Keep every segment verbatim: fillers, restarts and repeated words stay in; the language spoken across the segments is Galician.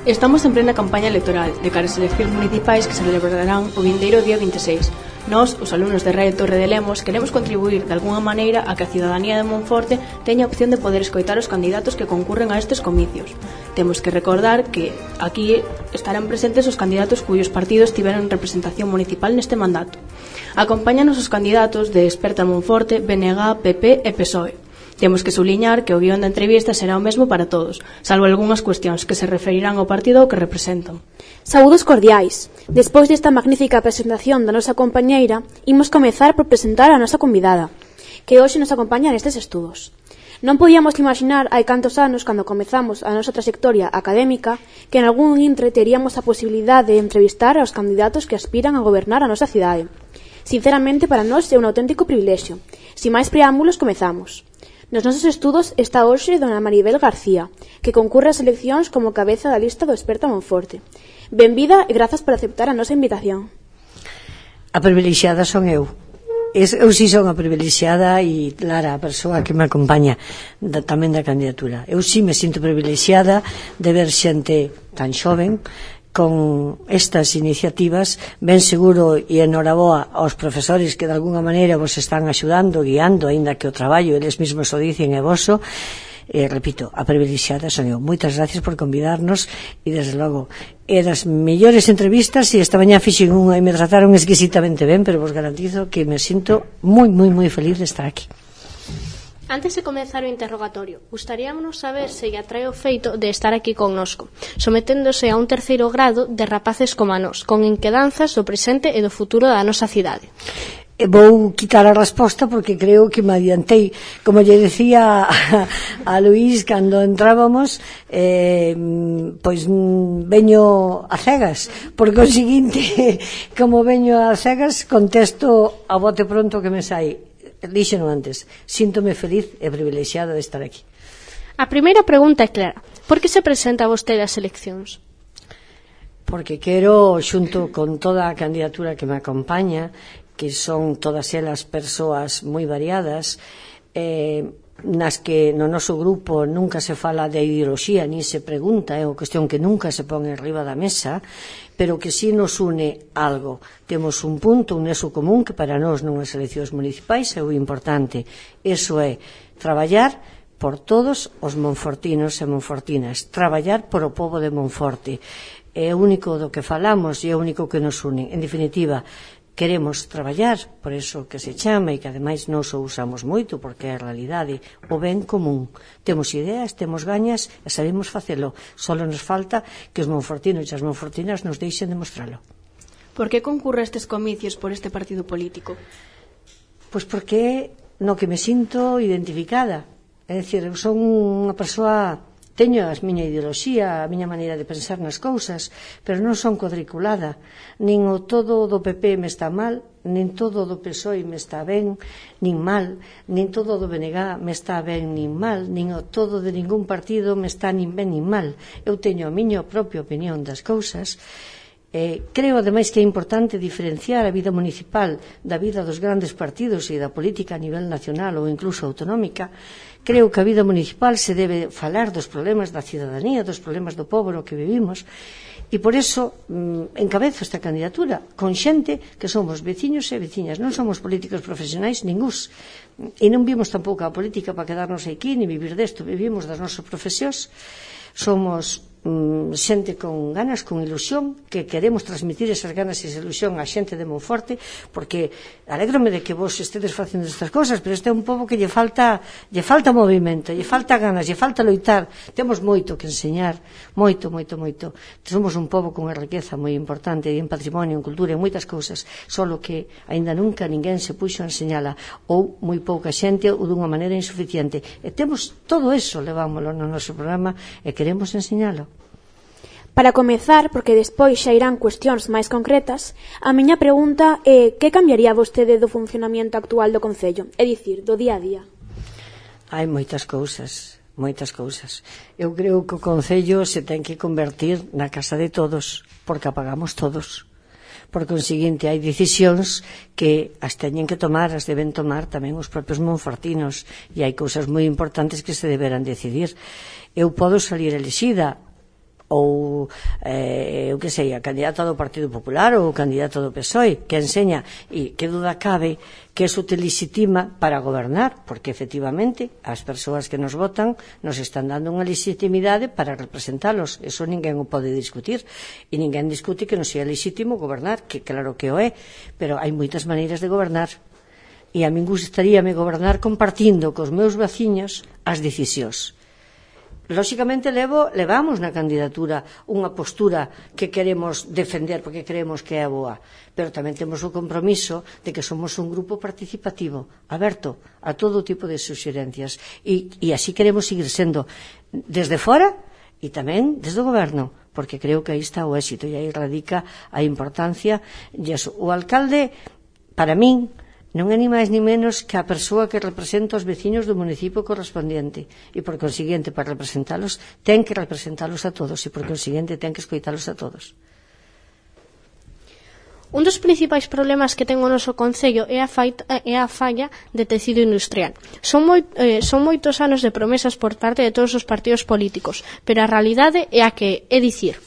Estamos en plena campaña electoral de cara ás eleccións municipais que se celebrarán o vindeiro día vinte e seis. Nós, os alumnos de Radio Torre de Lemos, queremos contribuir de algunha maneira a que a cidadanía de Monforte teña a opción de poder escoitar os candidatos que concurren a estes comicios. Temos que recordar que aquí estarán presentes os candidatos cuyos partidos tiveron representación municipal neste mandato. Acompáñanos os candidatos de Esperta Monforte, B N G, P P e P S O E. Temos que subliñar que o guión da entrevista será o mesmo para todos, salvo algunhas cuestións que se referirán ao partido ao que representan. Saúdos cordiais. Despois desta magnífica presentación da nosa compañeira, imos comezar por presentar a nosa convidada, que hoxe nos acompaña nestes estudos. Non podíamos imaginar hai cantos anos, cando comezamos a nosa trayectoria académica, que en algún intre teríamos a posibilidade de entrevistar aos candidatos que aspiran a gobernar a nosa cidade. Sinceramente, para nós é un auténtico privilexio. Sin máis preámbulos, comezamos. Nos nosos estudos está hoxe dona Maribel García, que concurre ás eleccións como cabeza da lista do Esperta Monforte. Benvida e grazas por aceptar a nosa invitación. A privilexiada son eu. Eu si son a privilexiada e Lara, a persoa que me acompaña da, tamén da candidatura. Eu si me sinto privilexiada de ver xente tan xoven con estas iniciativas, ben seguro e enhoraboa aos profesores que de alguna maneira vos están axudando, guiando, aínda que o traballo eles mesmos o dicen é voso. E, repito, a privilexiada son eu. Moitas gracias por convidarnos e, desde logo, é das mellores entrevistas e esta mañá fixen unha e me trataron exquisitamente ben, pero vos garantizo que me sinto moi, moi, moi feliz de estar aquí. Antes de comezar o interrogatorio, gustaríamonos saber se lle atrae o feito de estar aquí connosco, someténdose a un terceiro grado de rapaces como a nós, con inquedanzas do presente e do futuro da nosa cidade. Vou quitar a resposta porque creo que me adiantei. Como lle decía a, a Luís cando entrábamos, eh, pois veño a cegas, por conseguinte, como veño a cegas, contesto a bote pronto que me sai. Díxeno antes, síntome feliz e privilexiada de estar aquí. A primeira pregunta é clara. Por que se presenta vostede ás eleccións? Porque quero, xunto con toda a candidatura que me acompaña, que son todas elas persoas moi variadas, eh, nas que no noso grupo nunca se fala de ideoloxía, ni se pregunta, é unha cuestión que nunca se pon arriba da mesa, pero que si nos une algo. Temos un punto, un nexo común que para nós nunhas eleccións municipais é o importante. Eso é traballar por todos os monfortinos e monfortinas, traballar por o pobo de Monforte. É o único do que falamos e é o único que nos une. En definitiva, queremos traballar, por eso que se chama e que ademais nos o usamos moito porque é a realidade, o ben común. Temos ideas, temos gañas e sabemos facelo. Só nos falta que os monfortinos e as monfortinas nos deixen demostralo. Por que concurre estes comicios por este partido político? Pois porque no que me sinto identificada. É dicir, eu son unha persoa, teño a miña ideoloxía, a miña maneira de pensar nas cousas, pero non son cuadriculada. Nin o todo do P P me está mal, nin todo do P S O E me está ben, nin mal, nin todo do B N G me está ben nin mal, nin o todo de ningún partido me está nin ben nin mal. Eu teño a miña propia opinión das cousas. Eh, creo, ademais, que é importante diferenciar a vida municipal da vida dos grandes partidos e da política a nivel nacional ou incluso autonómica. Creo que a vida municipal se debe falar dos problemas da cidadanía, dos problemas do pobo no que vivimos, e por eso mm, encabezo esta candidatura con xente que somos veciños e veciñas, non somos políticos profesionais ningús, e non vimos tampouco a política para quedarnos aquí ni vivir desto, vivimos das nosas profesións. Somos mm, xente con ganas, con ilusión, que queremos transmitir esas ganas e esa ilusión á xente de Monforte, porque alégrome de que vos estedes facendo estas cosas, pero este é un pobo que lle falta lle falta movimento, lle falta ganas, lle falta loitar. Temos moito que enseñar, moito, moito, moito. Somos un pobo con unha riqueza moi importante en patrimonio, en cultura, en moitas cousas, solo que aínda nunca ninguén se puxo a enseñala, ou moi pouca xente, ou dunha maneira insuficiente. E temos todo eso, levámoslo no noso programa e queremos enseñalo. Para comezar, porque despois xa irán cuestións máis concretas, a miña pregunta é que cambiaría vostede do funcionamento actual do Concello, é dicir, do día a día? Hai moitas cousas, moitas cousas. Eu creo que o Concello se ten que convertir na casa de todos, porque a pagamos todos. Por conseguinte, hai decisións que as teñen que tomar, as deben tomar tamén os propios monfortinos, e hai cousas moi importantes que se deberán decidir. Eu podo salir elexida, ou eh, eu que sei, a candidata do Partido Popular ou o candidato do P S O E que enseña, e que duda cabe que eso te legitima para gobernar, porque efectivamente as persoas que nos votan nos están dando unha legitimidade para representalos, eso ninguén o pode discutir, e ninguén discute que non sea legítimo gobernar, que claro que o é, pero hai moitas maneiras de gobernar, e a min gustaríame gobernar compartindo cos meus veciños as decisións. Lóxicamente levo, levamos na candidatura unha postura que queremos defender porque creemos que é boa, pero tamén temos o compromiso de que somos un grupo participativo, aberto a todo tipo de suxerencias, e, e así queremos seguir sendo desde fora e tamén desde o goberno, porque creo que aí está o éxito e aí radica a importancia. O alcalde, para min, non é ni máis ni menos que a persoa que representa os veciños do municipio correspondiente, e por consiguiente, para representalos ten que representalos a todos, e por consiguiente ten que escoitalos a todos. Un dos principais problemas que ten o noso concello é a, faita, é a falla de tecido industrial. Son, moi, eh, son moitos anos de promesas por parte de todos os partidos políticos, pero a realidade é a que é dicir,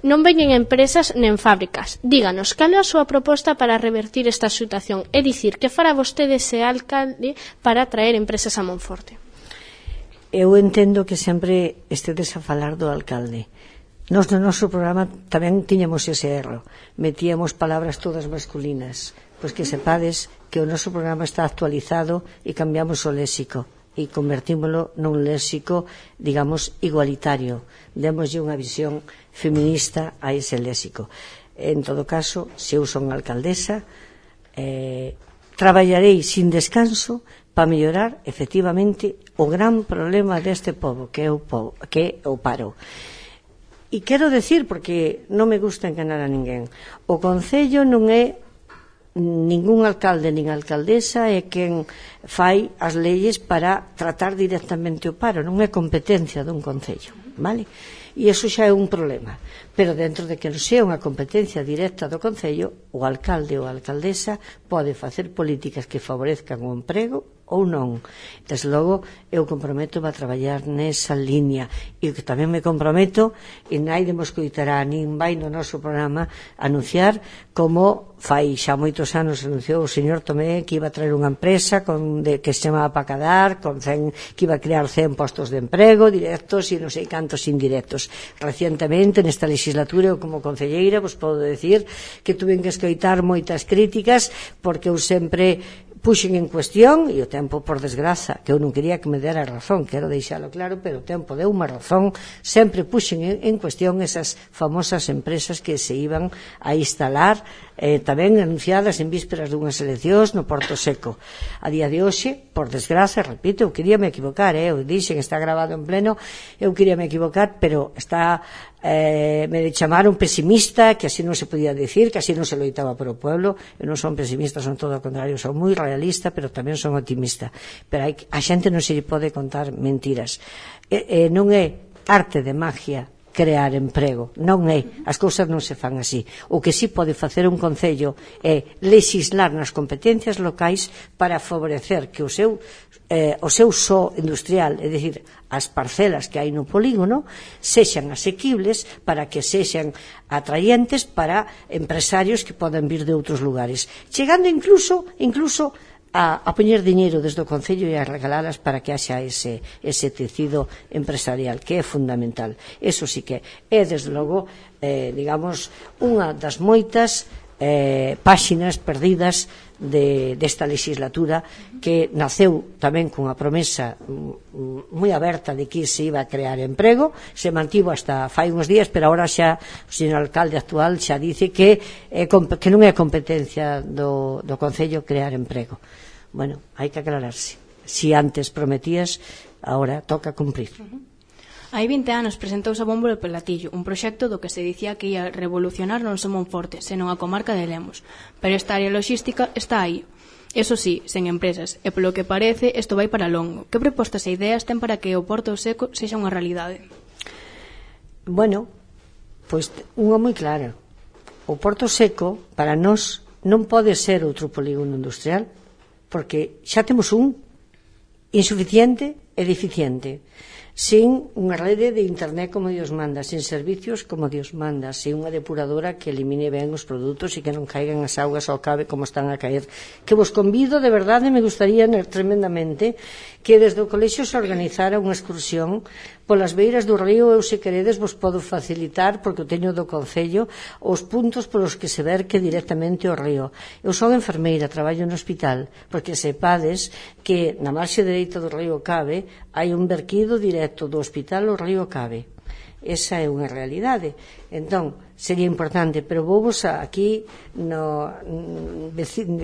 non veñen empresas nen fábricas. Díganos, cal é a súa proposta para revertir esta situación? É dicir, que fará vostede ese alcalde para traer empresas a Monforte? Eu entendo que sempre estedes a falar do alcalde. Nos no noso programa tamén tiñamos ese erro. Metíamos palabras todas masculinas. Pois que sepades que o noso programa está actualizado e cambiamos o léxico e convertímolo nun léxico, digamos, igualitario. Démoslle unha visión feminista a ese léxico. En todo caso, se eu son alcaldesa, eh, traballarei sin descanso para mellorar, efectivamente, o gran problema deste pobo, que é o, pobo, que é o paro. E quero decir, porque non me gusta enganar a ninguén, o Concello non é ningún alcalde nin alcaldesa é quen fai as leyes para tratar directamente o paro, non é competencia dun concello, vale? E iso xa é un problema, pero dentro de que non sea unha competencia directa do concello, o alcalde ou a alcaldesa pode facer políticas que favorezcan o emprego ou non. Desde logo, eu comprometo a traballar nesa línea, e o que tamén me comprometo, e naide me escoitará nin vai no noso programa anunciar como fai xa moitos anos anunciou o señor Tomé que iba a traer unha empresa con, de, que se chamaba Pacadar, con cen, que iba a crear cen postos de emprego directos e non sei cantos indirectos. Recientemente, nesta legislatura, eu como concelleira, vos podo decir que tuven que escoitar moitas críticas porque eu sempre puxen en cuestión, e o tempo, por desgraza, que eu non quería que me dera razón, quero deixalo claro, pero o tempo deu unha razón, sempre puxen en, en cuestión esas famosas empresas que se iban a instalar, eh, tamén anunciadas en vísperas dunhas eleccións no Porto Seco. A día de hoxe, por desgraza, repito, eu quería me equivocar, eh, eu dixen, está grabado en pleno, eu quería me equivocar, pero está... Eh, me chamaron pesimista, que así non se podía decir, que así non se loitaba por o pueblo. Eu non son pesimista, son todo o contrario, son moi realista, pero tamén son optimista, pero hai, a xente non se lle pode contar mentiras. E, e non é arte de magia crear emprego, non é, as cousas non se fan así. O que sí pode facer un concello é legislar nas competencias locais para favorecer que o seu eh, o seu só industrial, é dicir, as parcelas que hai no polígono sexan asequibles para que sexan atraentes para empresarios que podan vir de outros lugares, chegando incluso incluso a, a poñer diñeiro desde o Concello e a regalalas para que haxa ese, ese tecido empresarial, que é fundamental. Eso sí que é, desde logo, eh, digamos, unha das moitas eh, páxinas perdidas de, desta legislatura, que naceu tamén cunha promesa moi aberta de que se iba a crear emprego, se mantivo hasta fai uns días, pero agora xa o señor alcalde actual xa dice que, é, que non é competencia do, do Concello crear emprego. Bueno, hai que aclararse. Si antes prometías, agora toca cumprir. Hai vinte anos presentouse a bombo de Pelatillo, un proxecto do que se dicía que ia revolucionar non só Monforte, senón a comarca de Lemos. Pero esta área logística está aí. Eso sí, sen empresas, e polo que parece, isto vai para longo. Que propostas e ideas ten para que o Porto Seco sexa unha realidade? Bueno, pois unha moi clara. O Porto Seco, para nós, non pode ser outro polígono industrial, porque xa temos un insuficiente e deficiente. sin unha rede de internet como Dios manda, sin servicios como Dios manda, sin unha depuradora que elimine ben os produtos e que non caigan as augas ao cabe como están a caer. Que vos convido, de verdade, me gustaría tremendamente que desde o colexio se organizara unha excursión polas beiras do río. Eu, se queredes, vos podo facilitar, porque o teño do Concello, os puntos polos que se verque directamente o río. Eu son enfermeira, traballo no hospital, porque sepades que na marxe dereita do río Cabe hai un verquido directo do hospital ao río Cabe. Esa é unha realidade. Entón, sería importante, pero vou vos aquí no,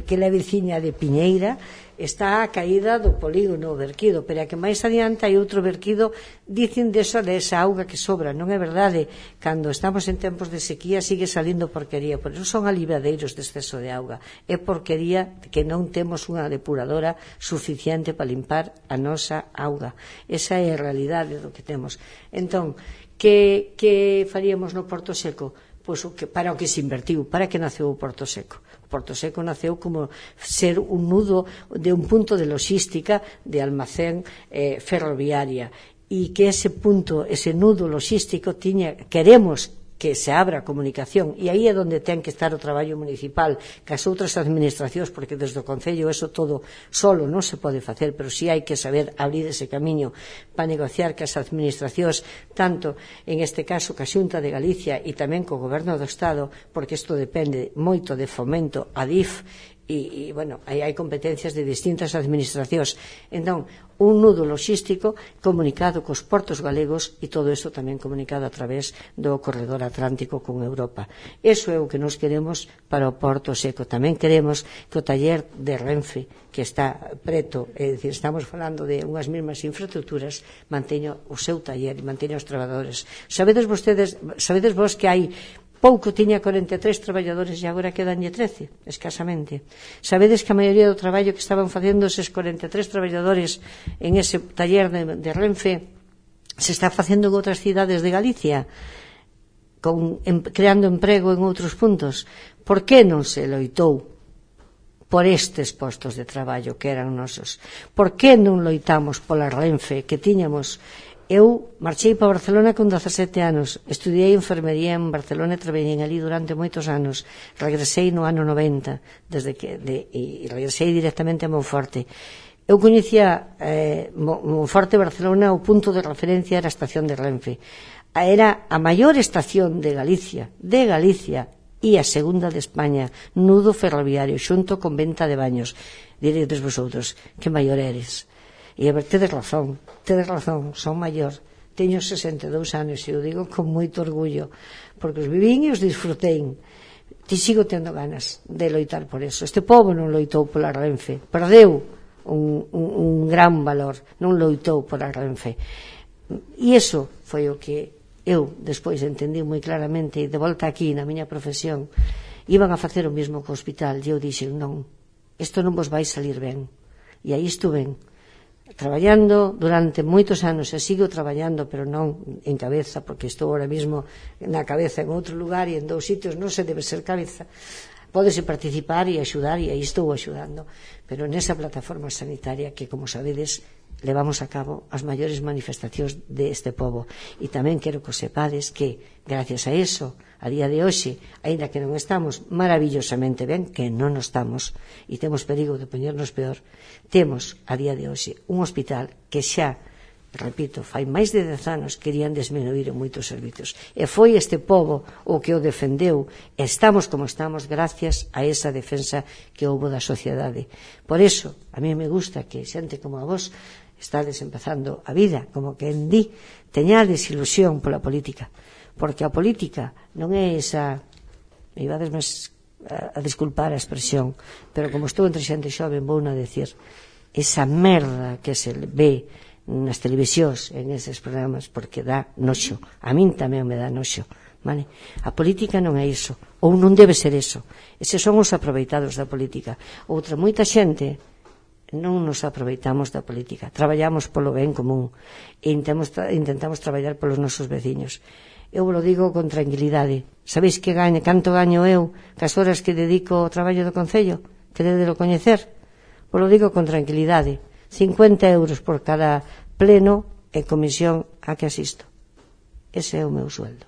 que é a veciña de Piñeira, está a caída do polígono verquido, pero a que máis adiante hai outro verquido, dicen desa, desa auga que sobra. Non é verdade, cando estamos en tempos de sequía sigue salindo porquería, por eso son aliviadeiros de exceso de auga, é porquería que non temos unha depuradora suficiente para limpar a nosa auga. Esa é a realidade do que temos. Entón, que, que faríamos no Porto Seco? Pois o que, para o que se invertiu, para que naceu o Porto Seco. O Porto Seco naceu como ser un nudo de un punto de logística de almacén eh, ferroviaria, e que ese punto, ese nudo logístico tiña, queremos que se abra a comunicación, e aí é onde ten que estar o traballo municipal que as outras administracións, porque desde o Concello eso todo solo non se pode facer, pero si hai que saber abrir ese camiño para negociar que as administracións, tanto en este caso que a Xunta de Galicia e tamén co Goberno do Estado, porque isto depende moito de Fomento, a D I F, e, e bueno, aí hai competencias de distintas administracións. Entón, un nudo logístico comunicado cos portos galegos, e todo isto tamén comunicado a través do corredor atlántico con Europa. Eso é o que nos queremos para o Porto Seco. Tamén queremos que o taller de Renfe, que está preto, é dicir, estamos falando de unhas mesmas infraestructuras, manteña o seu taller e manteña os traballadores. Sabedes vostedes, sabedes vos que hai pouco, tiña corenta e tres traballadores e agora quedanlle trece, escasamente. Sabedes que a maioría do traballo que estaban facendo eses corenta e tres traballadores en ese taller de, de Renfe se está facendo en outras cidades de Galicia, con, en, creando emprego en outros puntos. Por que non se loitou por estes postos de traballo que eran nosos? Por que non loitamos pola Renfe que tiñamos? Eu marchei para Barcelona con dezasete anos, estudiei enfermería en Barcelona e traballei ali durante moitos anos. Regresei no ano noventa, desde que, de, e regresei directamente a Monforte. Eu coñecía eh, Monforte, Barcelona, o punto de referencia era a estación de Renfe. Era a maior estación de Galicia, de Galicia, e a segunda de España, nudo ferroviario, xunto con venta de baños. Diredes vosotros, que maior eres? E a ver, tedes razón, tedes razón, son maior, teño sesenta e dous anos e o digo con moito orgullo, porque os vivín e os disfrutei. Ti sigo tendo ganas de loitar por eso. Este pobo non loitou pola Renfe, perdeu un, un, un gran valor, non loitou pola Renfe. E iso foi o que eu despois entendí moi claramente, e de volta aquí na miña profesión iban a facer o mesmo co hospital, e eu dixen, non, isto non vos vai salir ben. E aí estuven traballando durante moitos anos, e sigo traballando, pero non en cabeza, porque estou ahora mismo na cabeza en outro lugar, e en dous sitios non se debe ser cabeza. Pódese participar e axudar, e aí estou axudando, pero nesa plataforma sanitaria que, como sabedes, levamos a cabo as maiores manifestacións deste pobo. E tamén quero que sepades que, gracias a eso, a día de hoxe, aínda que non estamos maravillosamente ben, que non nos estamos, e temos perigo de poñernos peor, temos, a día de hoxe, un hospital que xa, repito, fai máis de dez anos querían desmenuir en moitos servizos. E foi este pobo o que o defendeu, e estamos como estamos gracias a esa defensa que houbo da sociedade. Por eso, a mí me gusta que xente como a vos estades empezando a vida, como que en di, teñades ilusión pola política, porque a política non é esa, me ibades máis a, a disculpar a expresión, pero como estou entre xente xoven, vou non decir, esa merda que se ve nas televisións, en eses programas, porque dá noxo, a min tamén me dá noxo, vale? A política non é iso, ou non debe ser iso, eses son os aproveitados da política. Outra, moita xente non nos aproveitamos da política, traballamos polo ben común e intentamos, intentamos traballar polos nosos veciños. Eu vos lo digo con tranquilidade. Sabéis que gaño, canto gaño eu cas horas que dedico ao traballo do Concello? Queredelo coñecer? Vos lo digo con tranquilidade. cincuenta euros por cada pleno e comisión a que asisto. Ese é o meu sueldo.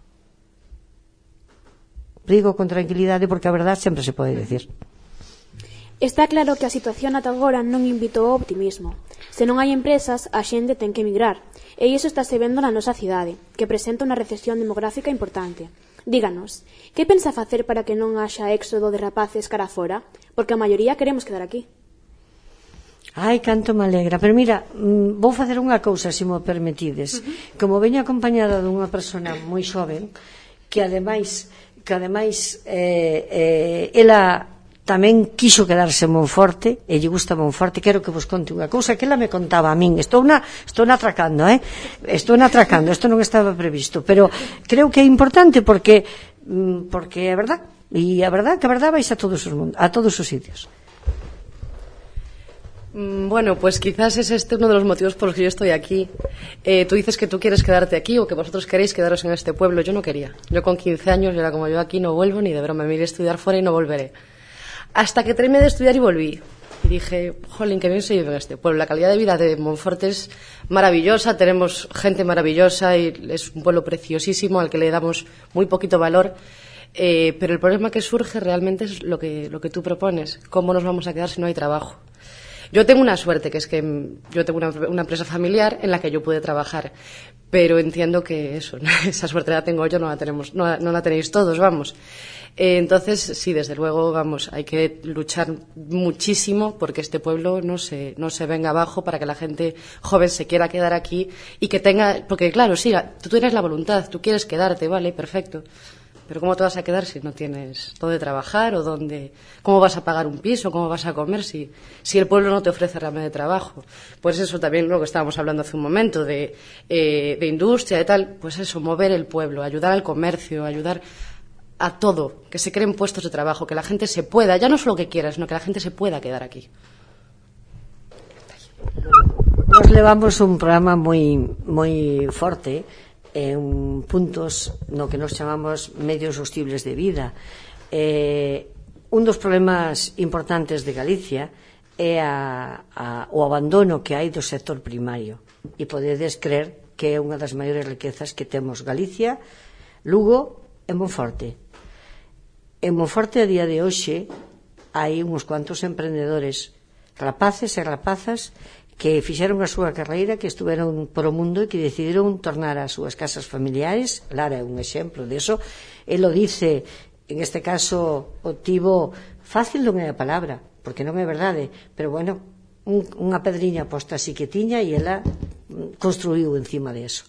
Digo con tranquilidade porque a verdade sempre se pode decir. Está claro que a situación ata agora non invitou ao optimismo. Se non hai empresas, a xente ten que emigrar. E iso estáse vendo na nosa cidade, que presenta unha recesión demográfica importante. Díganos, que pensa facer para que non haxa éxodo de rapaces cara fora? Porque a maioría queremos quedar aquí. Ai, canto me alegra. Pero mira, vou facer unha cousa, se mo permitides. Como veño acompañada dunha persona moi xoven, que ademais, que ademais eh, eh, ela tamén quixo quedarse en Monforte e lle gusta Monforte. Quero que vos conte unha cousa que ela me contaba a min. Estou na, estou na atracando, eh? Estou na atracando, isto non estaba previsto, pero creo que é importante porque porque é verdad, e a verdad que a verdad vais a todos os mundos, a todos os sitios. Bueno, pues quizás es este uno de los motivos por los que yo estoy aquí. Eh, tú dices que tú quieres quedarte aquí o que vosotros queréis quedaros en este pueblo. Yo no quería. Yo con quince años, yo era como yo aquí, no vuelvo ni de broma. Me iré a estudiar fuera y no volveré. Hasta que terminé de estudiar y volví. Y dije, jolín, que bien se vive en este pueblo. La calidad de vida de Monforte es maravillosa, tenemos gente maravillosa y es un pueblo preciosísimo al que le damos muy poquito valor. Eh, pero el problema que surge realmente es lo que, lo que tú propones. ¿Cómo nos vamos a quedar si no hay trabajo? Yo tengo una suerte, que es que yo tengo una, una empresa familiar en la que yo pude trabajar. Pero entiendo que eso, esa suerte la tengo yo, no la tenemos, no, no la tenéis todos, vamos. Eh, entonces, sí, desde luego, vamos, hay que luchar muchísimo porque este pueblo no se, no se venga abajo, para que la gente joven se quiera quedar aquí y que tenga, porque claro, sí, tú tienes la voluntad, tú quieres quedarte, vale, perfecto. Pero ¿cómo te vas a quedar si no tienes dónde trabajar o dónde, cómo vas a pagar un piso, cómo vas a comer si, si el pueblo no te ofrece realmente trabajo? Pues eso también lo que estábamos hablando hace un momento de, eh, de industria y tal, pues eso, mover el pueblo, ayudar al comercio, ayudar a todo, que se creen puestos de trabajo, que la gente se pueda, ya no solo que quiera, sino que la gente se pueda quedar aquí. Nos levamos un programa moi moi forte en puntos no que nos chamamos medios sostibles de vida. Eh, un dos problemas importantes de Galicia é a, a, o abandono que hai do sector primario, e podedes creer que é unha das maiores riquezas que temos Galicia, Lugo e Monforte. En Monforte a día de hoxe hai uns cuantos emprendedores, rapaces e rapazas, que fixeron a súa carreira, que estuveron por o mundo e que decidiron tornar as súas casas familiares. Lara é un exemplo deso. Ele o dice, en este caso o tivo fácil, non é a palabra, porque non é verdade, pero bueno, un, unha pedriña posta así que tiña e ela construiu encima de eso.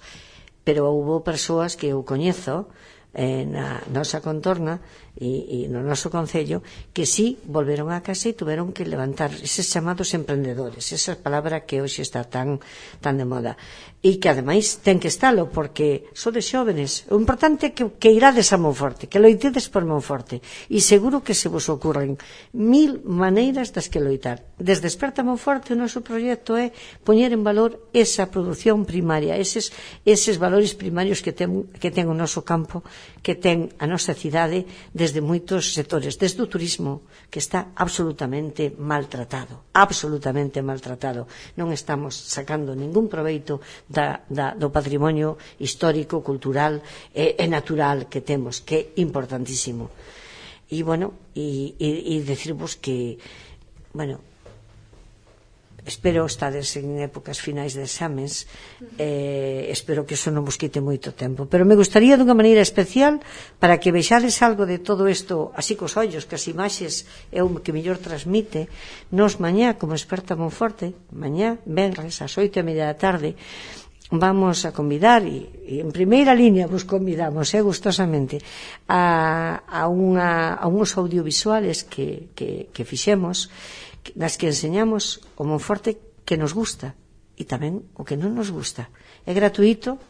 Pero houve persoas que eu coñezo eh, na nosa contorna e, e no noso concello que sí volveron a casa e tuveron que levantar eses chamados emprendedores, esa palabra que hoxe está tan tan de moda e que ademais ten que estalo porque sodes xóvenes. O importante é que, que irades a Monforte, que loitedes por Monforte e seguro que se vos ocurren mil maneiras das que loitar. Desde Desperta Monforte o noso proxecto é poñer en valor esa produción primaria, eses, eses valores primarios que ten, que ten o noso campo, que ten a nosa cidade desde moitos sectores, desde o turismo, que está absolutamente maltratado, absolutamente maltratado. Non estamos sacando ningún proveito da, da, do patrimonio histórico, cultural e, e natural que temos, que é importantísimo. E, bueno, e, e, e decirvos que, bueno, espero estades en épocas finais de exames, eh, espero que eso non vos quite moito tempo, pero me gustaría dunha maneira especial para que vexades algo de todo isto así cos ollos, que as imaxes é o que mellor transmite. Nos mañá, como Desperta Monforte, mañá, venres, ás oito e media da tarde, vamos a convidar, e, e en primeira línea vos convidamos, eh, gustosamente, a, a, unha, a uns audiovisuales que, que, que fixemos, nas que enseñamos o Monforte que nos gusta e tamén o que non nos gusta. É gratuito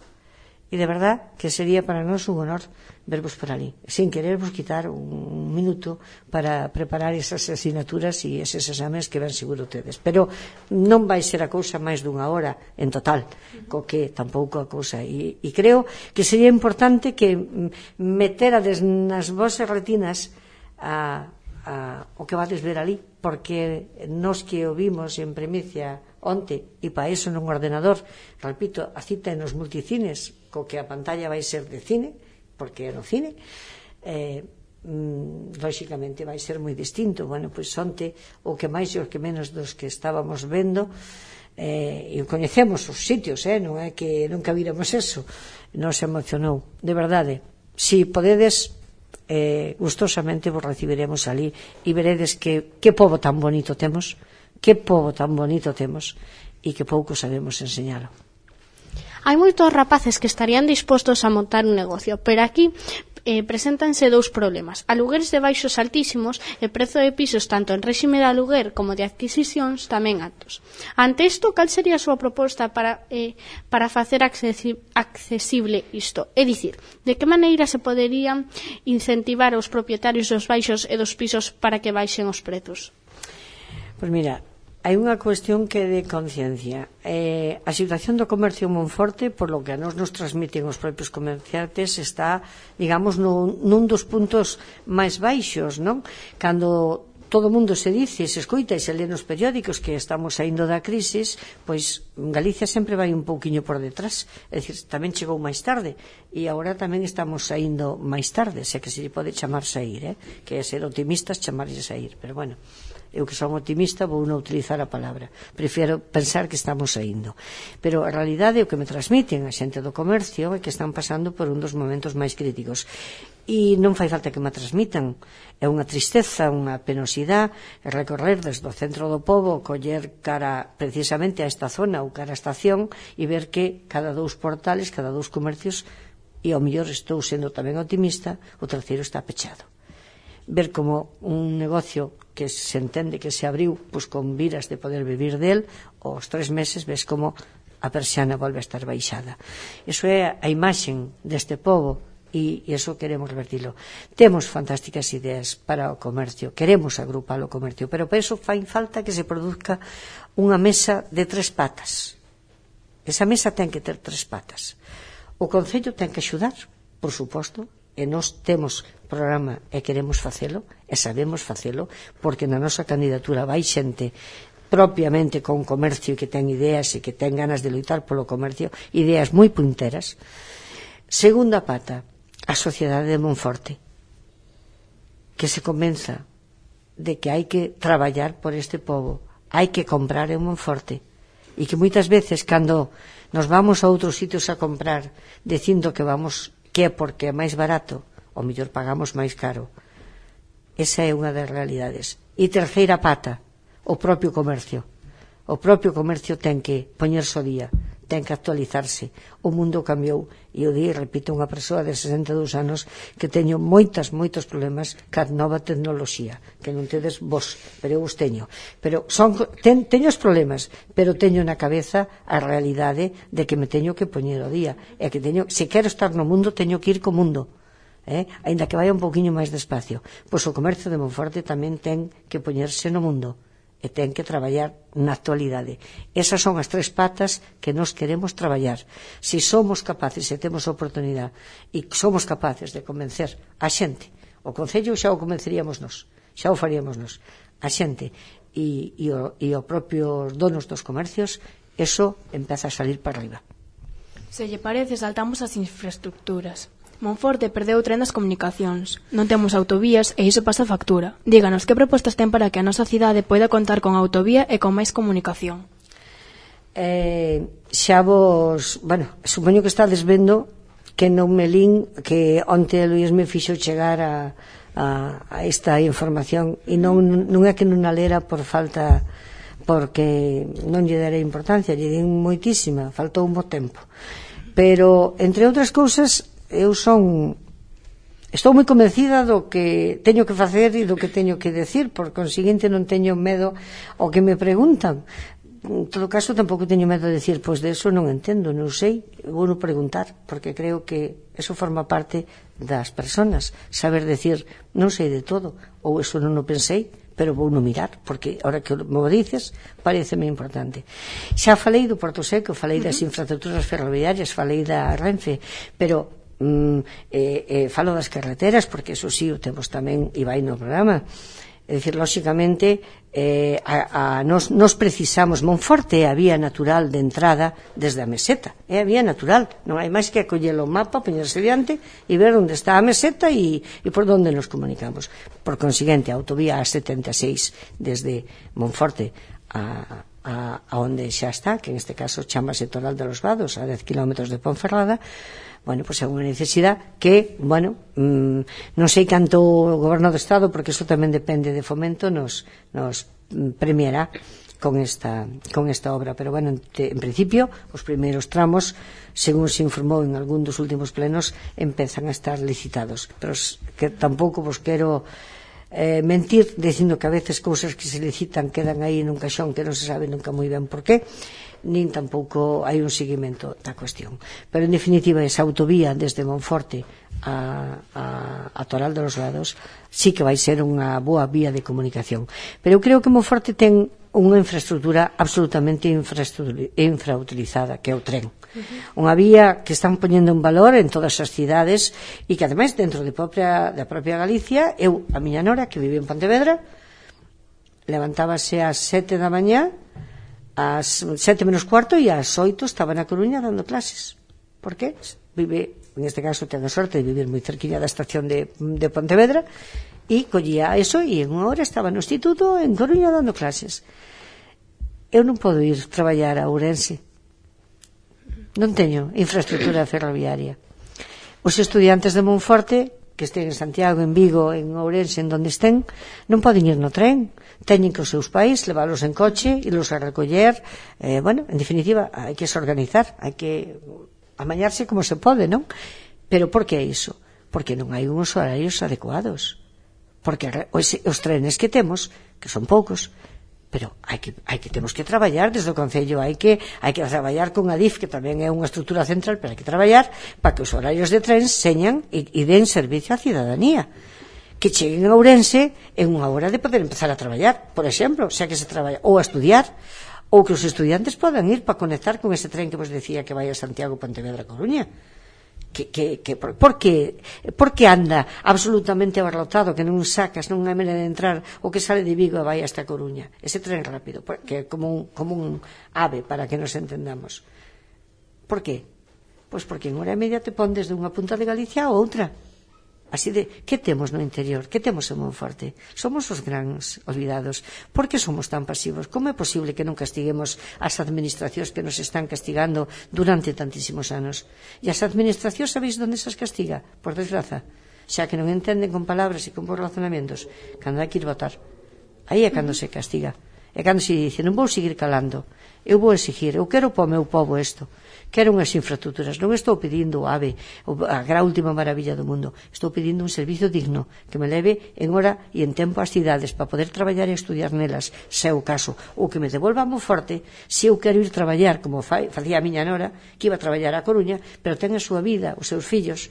e de verdad que sería para nós un honor vervos por ali, sin querervos quitar un minuto para preparar esas asignaturas e eses exames que ven seguro tedes, pero non vai ser a cousa máis dunha hora en total, co que tampouco a cousa, e, e creo que sería importante que meterades nas vosas retinas a, a, o que vades ver ali, porque nos que o vimos en primicia onte, e para iso nun ordenador, repito, a cita nos multicines, co que a pantalla vai ser de cine, porque é no cine, eh, mm, lóxicamente vai ser moi distinto. Bueno, pois onte, o que máis e o que menos dos que estábamos vendo, eh, e coñecemos os sitios, eh, non é que nunca víramos eso, nos emocionou, de verdade. Si podedes, eh, gustosamente vos recibiremos ali e veredes que, que pobo tan bonito temos, que pobo tan bonito temos e que pouco sabemos enseñalo. Hai moitos rapaces que estarían dispostos a montar un negocio, pero aquí eh, preséntanse dous problemas: alugueres de baixos altísimos e prezo de pisos tanto en réxime de aluguer como de adquisicións tamén altos. Ante isto, cal sería a súa proposta para, eh, para facer accesi accesible isto? É dicir, de que maneira se poderían incentivar os propietarios dos baixos e dos pisos para que baixen os prezos? Pois mira, hai unha cuestión que é de conciencia. Eh, a situación do comercio en Monforte, por lo que a nos nos transmiten os propios comerciantes, está, digamos, nun, nun dos puntos máis baixos, non? Cando todo o mundo se dice, se escoita e se lee nos periódicos que estamos saindo da crisis, pois Galicia sempre vai un pouquiño por detrás. É dicir, tamén chegou máis tarde e agora tamén estamos saindo máis tarde, se que se lle pode chamar sair, eh? Que é ser optimistas, chamarlle sair, pero bueno, eu que son optimista vou non utilizar a palabra, prefiero pensar que estamos saindo, pero a realidade é o que me transmiten a xente do comercio é que están pasando por un dos momentos máis críticos e non fai falta que me transmitan, é unha tristeza, unha penosidade recorrer desde o centro do pobo, coller cara precisamente a esta zona ou cara a estación e ver que cada dous portales, cada dous comercios, e ao mellor estou sendo tamén optimista, o terceiro está pechado. Ver como un negocio que se entende que se abriu pois con viras de poder vivir del, aos tres meses ves como a persiana volve a estar baixada. Iso é a imaxen deste pobo e iso queremos revertilo. Temos fantásticas ideas para o comercio, queremos agrupar o comercio, pero para iso fai falta que se produzca unha mesa de tres patas. Esa mesa ten que ter tres patas. O Concello ten que axudar, por suposto, e nós temos programa e queremos facelo e sabemos facelo porque na nosa candidatura vai xente propiamente con comercio que ten ideas e que ten ganas de loitar polo comercio, ideas moi punteras. Segunda pata, a sociedade de Monforte, que se convenza de que hai que traballar por este pobo, hai que comprar en Monforte e que moitas veces cando nos vamos a outros sitios a comprar dicindo que vamos que é porque é máis barato, ou mellor pagamos máis caro. Esa é unha das realidades. E terceira pata, o propio comercio. O propio comercio ten que poñerse ao día, ten que actualizarse. O mundo cambiou e o día, repito, unha persoa de sesenta e dous anos que teño moitas, moitos problemas ca nova tecnoloxía, que non tedes vos, pero eu os teño. Pero son, ten, teño os problemas, pero teño na cabeza a realidade de que me teño que poñer ao día. E que teño, se quero estar no mundo, teño que ir co mundo. Eh? Ainda que vaya un pouquiño máis despacio. Pois o comercio de Monforte tamén ten que poñerse no mundo e ten que traballar na actualidade. Esas son as tres patas que nós queremos traballar. Se somos capaces, se temos a oportunidade e somos capaces de convencer a xente, o Concello xa o convenceríamos nós, xa o faríamos nós, a xente e, e, o, e o propio donos dos comercios, eso empeza a salir para arriba. Se lle parece, saltamos as infraestructuras. Monforte perdeu o tren das comunicacións. Non temos autovías e iso pasa factura. Díganos, que propostas ten para que a nosa cidade poida contar con autovía e con máis comunicación? Eh, xa vos... Bueno, supoño que estades vendo que non me lín que onte Luís me fixo chegar a, a, a esta información e non, non é que non a lera por falta, porque non lle darei importancia, lle din moitísima, faltou un bo tempo. Pero, entre outras cousas, eu son estou moi convencida do que teño que facer e do que teño que decir, por conseguinte non teño medo ao que me preguntan. En todo caso, tampouco teño medo de decir, pois de eso non entendo, non sei, vou non preguntar, porque creo que eso forma parte das personas, saber decir, non sei de todo, ou eso non o pensei, pero vou non mirar, porque ahora que me o dices, pareceme importante. Xa falei do Porto Seco, falei das infraestructuras ferroviarias, falei da Renfe, pero Mm, eh, eh, falo das carreteras porque eso sí o temos tamén e vai no programa. É dicir, lóxicamente, eh, a, a, nos, nos precisamos, Monforte é a vía natural de entrada desde a meseta, é a vía natural, non hai máis que acoller o mapa, poñerse diante e ver onde está a meseta e, e por onde nos comunicamos. Por consiguiente, a autovía A setenta e seis desde Monforte a, a, a onde xa está, que en este caso chamase Toral de los Vados, a dez kilómetros de Ponferrada, bueno, pois é unha necesidade que, bueno, mmm, non sei canto o Goberno do Estado, porque iso tamén depende de Fomento, nos, nos premiará con esta, con esta obra, pero bueno, te, en principio, os primeiros tramos, según se informou en algún dos últimos plenos, empezan a estar licitados, pero que tampouco vos quero eh, mentir dicindo que a veces cousas que se licitan quedan aí nun caixón que non se sabe nunca moi ben por qué, nin tampouco hai un seguimento da cuestión. Pero, en definitiva, esa autovía desde Monforte a, a, a Toral de los Vados sí que vai ser unha boa vía de comunicación. Pero eu creo que Monforte ten unha infraestructura absolutamente infrautilizada, que é o tren. Uh-huh. Unha vía que están poñendo en valor en todas as cidades e que, ademais, dentro de propia, da propia Galicia, eu, a miña nora, que vive en Pontevedra, levantábase ás sete da mañá, ás sete menos cuarto e ás oito estaba na Coruña dando clases. Por qué? Vive, en este caso ten a sorte de vivir moi cerquilla da estación de, de Pontevedra e collía eso e en unha hora estaba no instituto en Coruña dando clases. Eu non podo ir traballar a Ourense, non teño infraestructura ferroviaria. Os estudiantes de Monforte que estén en Santiago, en Vigo, en Ourense, en donde estén, non poden ir no tren, teñen que os seus pais leválos en coche e los a recoller. Eh, bueno, en definitiva, hai que se organizar, hai que amañarse como se pode, non? Pero por que iso? Porque non hai uns horarios adecuados, porque os, os trenes que temos, que son poucos, pero hai que, hai que temos que traballar desde o Concello, hai que, hai que traballar con a D I F, que tamén é unha estrutura central, pero hai que traballar para que os horarios de tren señan e, e den servicio á cidadanía, que cheguen a Ourense en unha hora de poder empezar a traballar, por exemplo, xa que se traballa, ou a estudiar, ou que os estudiantes podan ir para conectar con ese tren que vos decía que vai a Santiago, Pontevedra, Coruña. Que, que, que, por, por, que, por que anda absolutamente abarrotado, que non sacas, non hai maneira de entrar, o que sale de Vigo e vai hasta Coruña, ese tren rápido, que é como un, como un ave, para que nos entendamos. Por que? Pois porque en hora e media te pon desde unha punta de Galicia a outra. Así de, que temos no interior? Que temos en Monforte? Somos os grans olvidados. Por que somos tan pasivos? Como é posible que non castiguemos as administracións que nos están castigando durante tantísimos anos? E as administracións, sabéis onde se as castiga? Por desgraza, xa que non entenden con palabras e con razonamentos, cando hai que ir votar. Aí é cando se castiga. É cando se dice, non vou seguir calando, eu vou exigir, eu quero para o meu povo isto, quero unhas infraestructuras, non estou pedindo o AVE, a gran última maravilla do mundo, estou pedindo un servicio digno que me leve en hora e en tempo ás cidades para poder traballar e estudiar nelas, se é o caso, ou que me devolva moi forte se eu quero ir traballar como facía a miña nora, que iba a traballar a Coruña, pero ten a súa vida, os seus fillos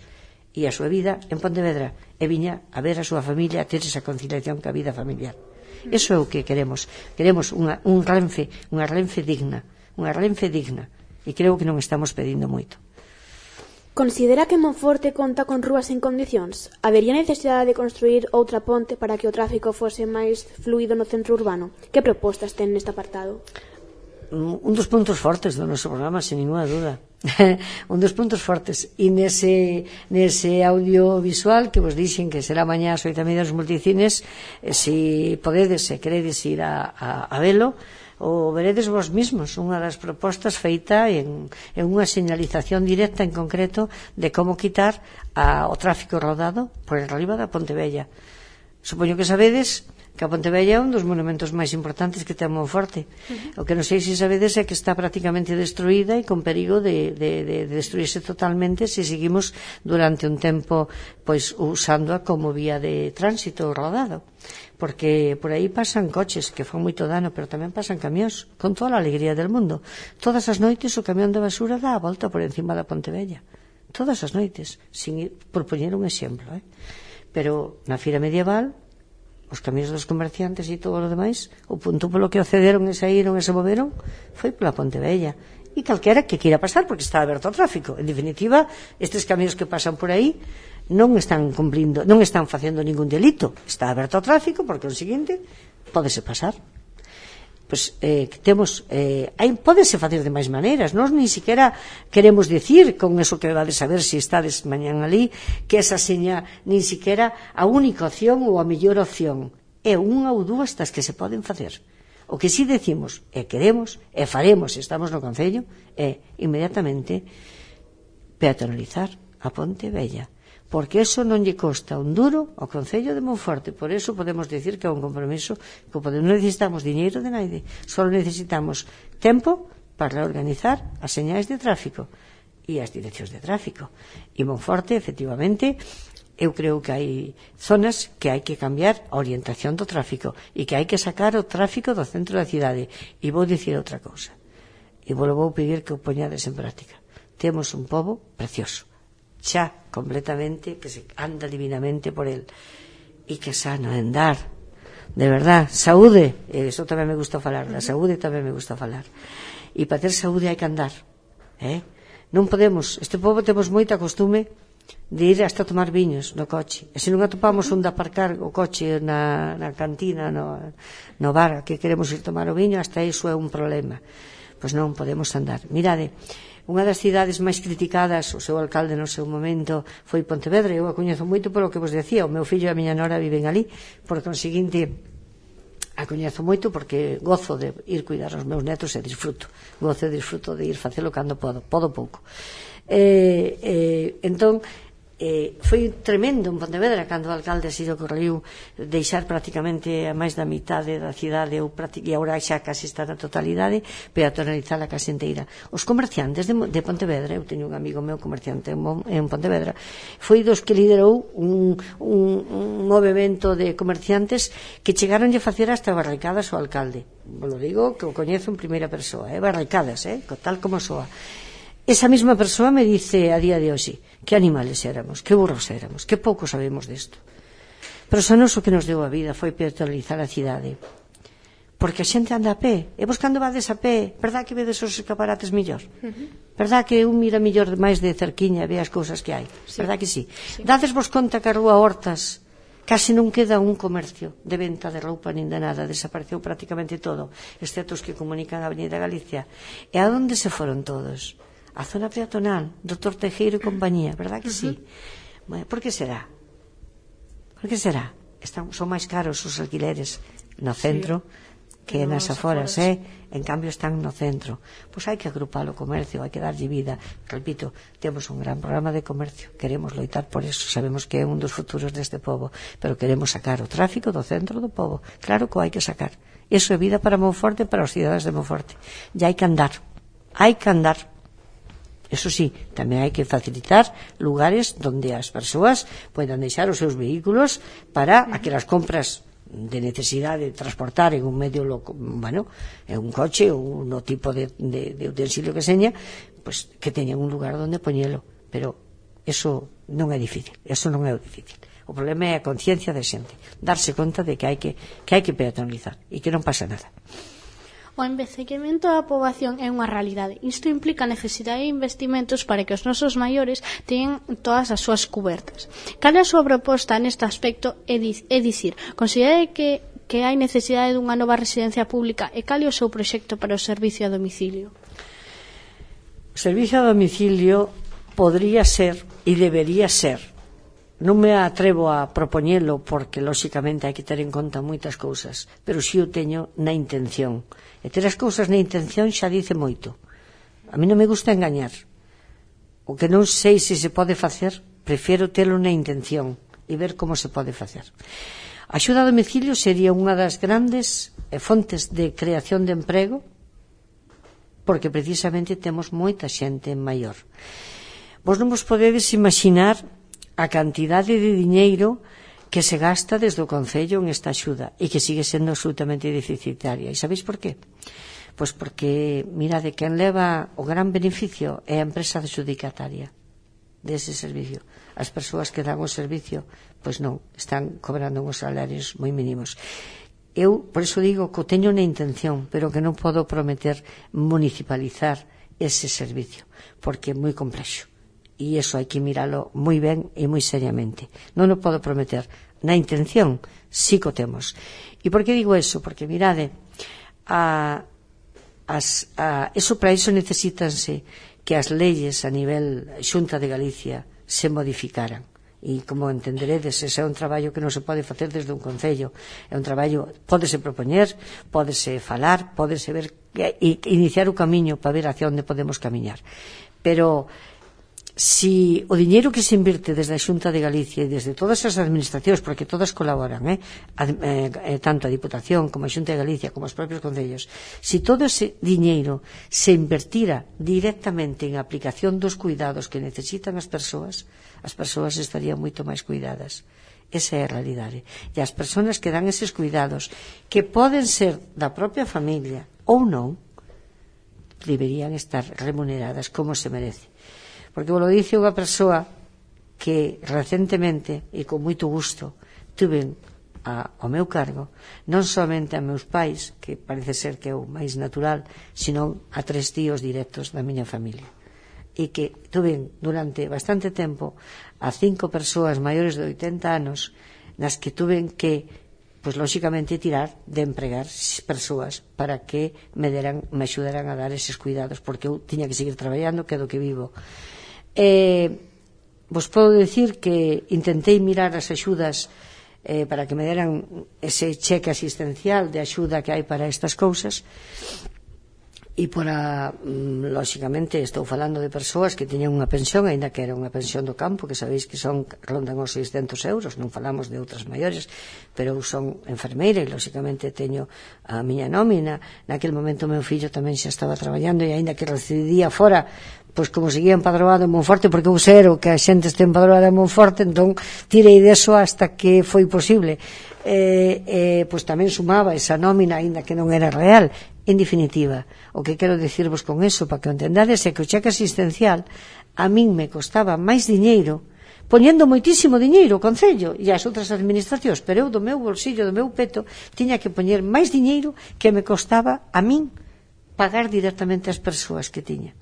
e a súa vida en Pontevedra, e viña a ver a súa familia, a ter esa conciliación ca vida familiar. Eso é o que queremos. Queremos unha, un Renfe, unha Renfe digna, unha Renfe digna. E creo que non estamos pedindo moito. Considera que Monforte conta con rúas en condicións? Habería necesidade de construir outra ponte para que o tráfico fose máis fluido no centro urbano? Que propostas ten neste apartado? Un dos puntos fortes do noso programa, sin ninguna duda. Un dos puntos fortes. E nese, nese audiovisual que vos dixen que será mañá ás oito e media nos multicines, eh, se podedes, se queredes ir a, a, a velo, o veredes vos mismos, unha das propostas feita en, en unha señalización directa en concreto de como quitar a, o tráfico rodado por arriba da Pontevella. Supoño que sabedes que a Pontevella é un dos monumentos máis importantes que ten Monforte. Uh-huh. O que non sei se sabedes é que está prácticamente destruída e con perigo de, de, de destruirse totalmente se seguimos durante un tempo pois usándoa como vía de tránsito rodado, porque por aí pasan coches que fan moito dano, pero tamén pasan camións con toda a alegría del mundo. Todas as noites o camión de basura dá a volta por encima da Pontevella, todas as noites, sin ir, por poñer un exemplo, eh? Pero na fira medieval os camións dos comerciantes e todo o demais, o punto polo que accederon e saíron e se moveron foi pola Pontevella, e calquera que queira pasar porque está aberto ao tráfico. En definitiva, estes camións que pasan por aí non están cumplindo, non están facendo ningún delito, está aberto ao tráfico, porque o seguinte pódese pasar. Pois eh, temos eh, hai, pódese facer de máis maneiras. Nós ni siquiera queremos decir con eso que vades a ver se estades mañán ali que esa seña nin siquiera a única opción ou a mellor opción, é unha ou dúas das que se poden facer. O que si decimos e queremos e faremos se estamos no Concello é inmediatamente peatonalizar a Ponte Vella, porque eso non lle costa un duro ao Concello de Monforte. Por eso podemos decir que é un compromiso que non necesitamos diñeiro de naide, só necesitamos tempo para organizar as señais de tráfico e as direccións de tráfico. E Monforte, efectivamente, eu creo que hai zonas que hai que cambiar a orientación do tráfico e que hai que sacar o tráfico do centro da cidade. E vou dicir outra cousa, e vou vou pedir que o poñades en práctica. Temos un pobo precioso, xa completamente, que se anda divinamente por el, e que sano andar, de verdad. Saúde, eso tamén me gusta falar, da saúde tamén me gusta falar, e para ter saúde hai que andar, eh? Non podemos, este pobo temos moita costume de ir hasta tomar viños no coche, e se non atopamos onde aparcar o coche na, na cantina, no, no bar que queremos ir tomar o viño, hasta iso é un problema. Pois non podemos andar. Mirade, unha das cidades máis criticadas, o seu alcalde no seu momento foi Pontevedra. Eu a coñezo moito polo que vos decía, o meu fillo e a miña nora viven ali, por conseguinte a coñezo moito porque gozo de ir cuidar aos meus netos e disfruto, gozo e disfruto de ir facelo cando podo, podo pouco. Eh, eh, entón, eh, foi tremendo en Pontevedra cando o alcalde se lle ocorreu deixar prácticamente a máis da mitade da cidade, ou e agora xa casi está na totalidade, peatonalizar a case inteira. Os comerciantes de, de Pontevedra, eu teño un amigo meu comerciante en, en Pontevedra, foi dos que liderou un, un, un movimento de comerciantes que chegaron a facer hasta barricadas ao alcalde. Lo digo que o coñezo en primeira persoa, eh? Barricadas, eh? Tal como soa. Esa mesma persoa me dice a día de hoxe que animales éramos, que burros éramos, que pouco sabemos desto. Pero xa nos o que nos deu a vida foi peatonalizar a cidade, porque a xente anda a pé, e vos cando vades a pé, verdad que vedes os escaparates mellor? Verdad que un mira mellor máis de cerquiña e ve as cousas que hai? Verdad que sí? Dades vos conta que a rúa Hortas case non queda un comercio de venta de roupa nin de nada, desapareceu prácticamente todo, excepto os que comunican a Avenida Galicia. E a onde se foron todos? A zona peatonal, doutor Tejero e compañía, verdad que sí? Bueno, por que será? Por que será? Están, son máis caros os alquileres no centro que nas aforas, eh? En cambio están no centro. Pois hai que agrupar o comercio, hai que darlle vida. Repito, temos un gran programa de comercio, queremos loitar por eso, sabemos que é un dos futuros deste pobo, pero queremos sacar o tráfico do centro do pobo. Claro que o hai que sacar. Eso é vida para Monforte e para os cidadanos de Monforte. E hai que andar, hai que andar. Eso sí, tamén hai que facilitar lugares onde as persoas poidan deixar os seus vehículos para aquelas compras de necesidade de transportar en un medio loco, bueno, en un coche ou no tipo de, de, de utensilio que seña, pues que teñan un lugar onde poñelo. Pero eso non é difícil, eso non é o difícil. O problema é a conciencia da xente, darse conta de que hai que, que hai que peatonalizar e que non pasa nada. O envellecemento da poboación é unha realidade. Isto implica a necesidade de investimentos para que os nosos maiores teñan todas as súas cubertas. Cal é a súa proposta neste aspecto? É, di, é dicir, considera que, que hai necesidade dunha nova residencia pública e cal é o seu proxecto para o servicio a domicilio? O servicio a domicilio podría ser e debería ser. Non me atrevo a propoñelo porque, lóxicamente, hai que ter en conta moitas cousas, pero si o teño na intención. E ter as cousas na intención xa dice moito. A mí non me gusta engañar. O que non sei se se pode facer, prefiero telo na intención e ver como se pode facer. A axuda a domicilio sería unha das grandes fontes de creación de emprego, porque precisamente temos moita xente maior. Vos non vos podedes imaginar a cantidade de diñeiro que se gasta desde o Concello en esta axuda e que sigue sendo absolutamente deficitaria. E sabéis por qué? Pois porque, mirade, quen leva o gran beneficio é a empresa adxudicataria dese servicio. As persoas que dan o servicio, pois non, están cobrando uns salarios moi mínimos. Eu, por iso digo que o teño na intención, pero que non podo prometer municipalizar ese servicio, porque é moi complexo. e iso hai que miralo moi ben e moi seriamente. Non o podo prometer. Na intención, sí que o temos. E por que digo eso? Porque, mirade, a, as, a, eso para iso necesítanse que as leyes a nivel Xunta de Galicia se modificaran. E como entenderedes, ese é un traballo que non se pode facer desde un concello, é un traballo, pódese propoñer, pódese falar, pódese ver e iniciar o camiño para ver hacia onde podemos camiñar, pero si o diñeiro que se invirte desde a Xunta de Galicia e desde todas as administracións, porque todas colaboran, eh? Eh, tanto a Diputación como a Xunta de Galicia como os propios concellos, si todo ese diñeiro se invertira directamente en aplicación dos cuidados que necesitan as persoas, as persoas estarían moito máis cuidadas. Esa é a realidade. E as persoas que dan eses cuidados, que poden ser da propia familia ou non, deberían estar remuneradas como se merece. Porque vos lo dice unha persoa que recentemente e con moito gusto tuven a, ao meu cargo non somente a meus pais, que parece ser que é o máis natural, sino a tres tíos directos da miña familia, e que tuven durante bastante tempo a cinco persoas maiores de oitenta anos nas que tuven que, pois lóxicamente, tirar de empregar persoas para que me deran, me axudaran a dar eses cuidados, porque eu tiña que seguir traballando, que é do que vivo. Eh, vos podo decir que intentei mirar as axudas eh, para que me deran ese cheque asistencial de axuda que hai para estas cousas, e para, lóxicamente, estou falando de persoas que tiñan unha pensión, aínda que era unha pensión do campo, que sabéis que son, rondan os seiscentos euros, non falamos de outras maiores, pero eu son enfermeira e, lóxicamente, teño a miña nómina. Naquele momento o meu fillo tamén xa estaba traballando e aínda que residía fora, pois como seguía empadroado en Monforte, porque eu sero que a xente este empadroada en Monforte, entón tirei deso hasta que foi posible. Eh, eh, pois tamén sumaba esa nómina, aínda que non era real. En definitiva, o que quero dicirvos con eso, para que o entendades, é que o cheque asistencial a min me costaba máis diñeiro, poñendo moitísimo diñeiro o Concello e as outras administracións, pero eu do meu bolsillo, do meu peto, tiña que poñer máis diñeiro que me costaba a min pagar directamente as persoas que tiña.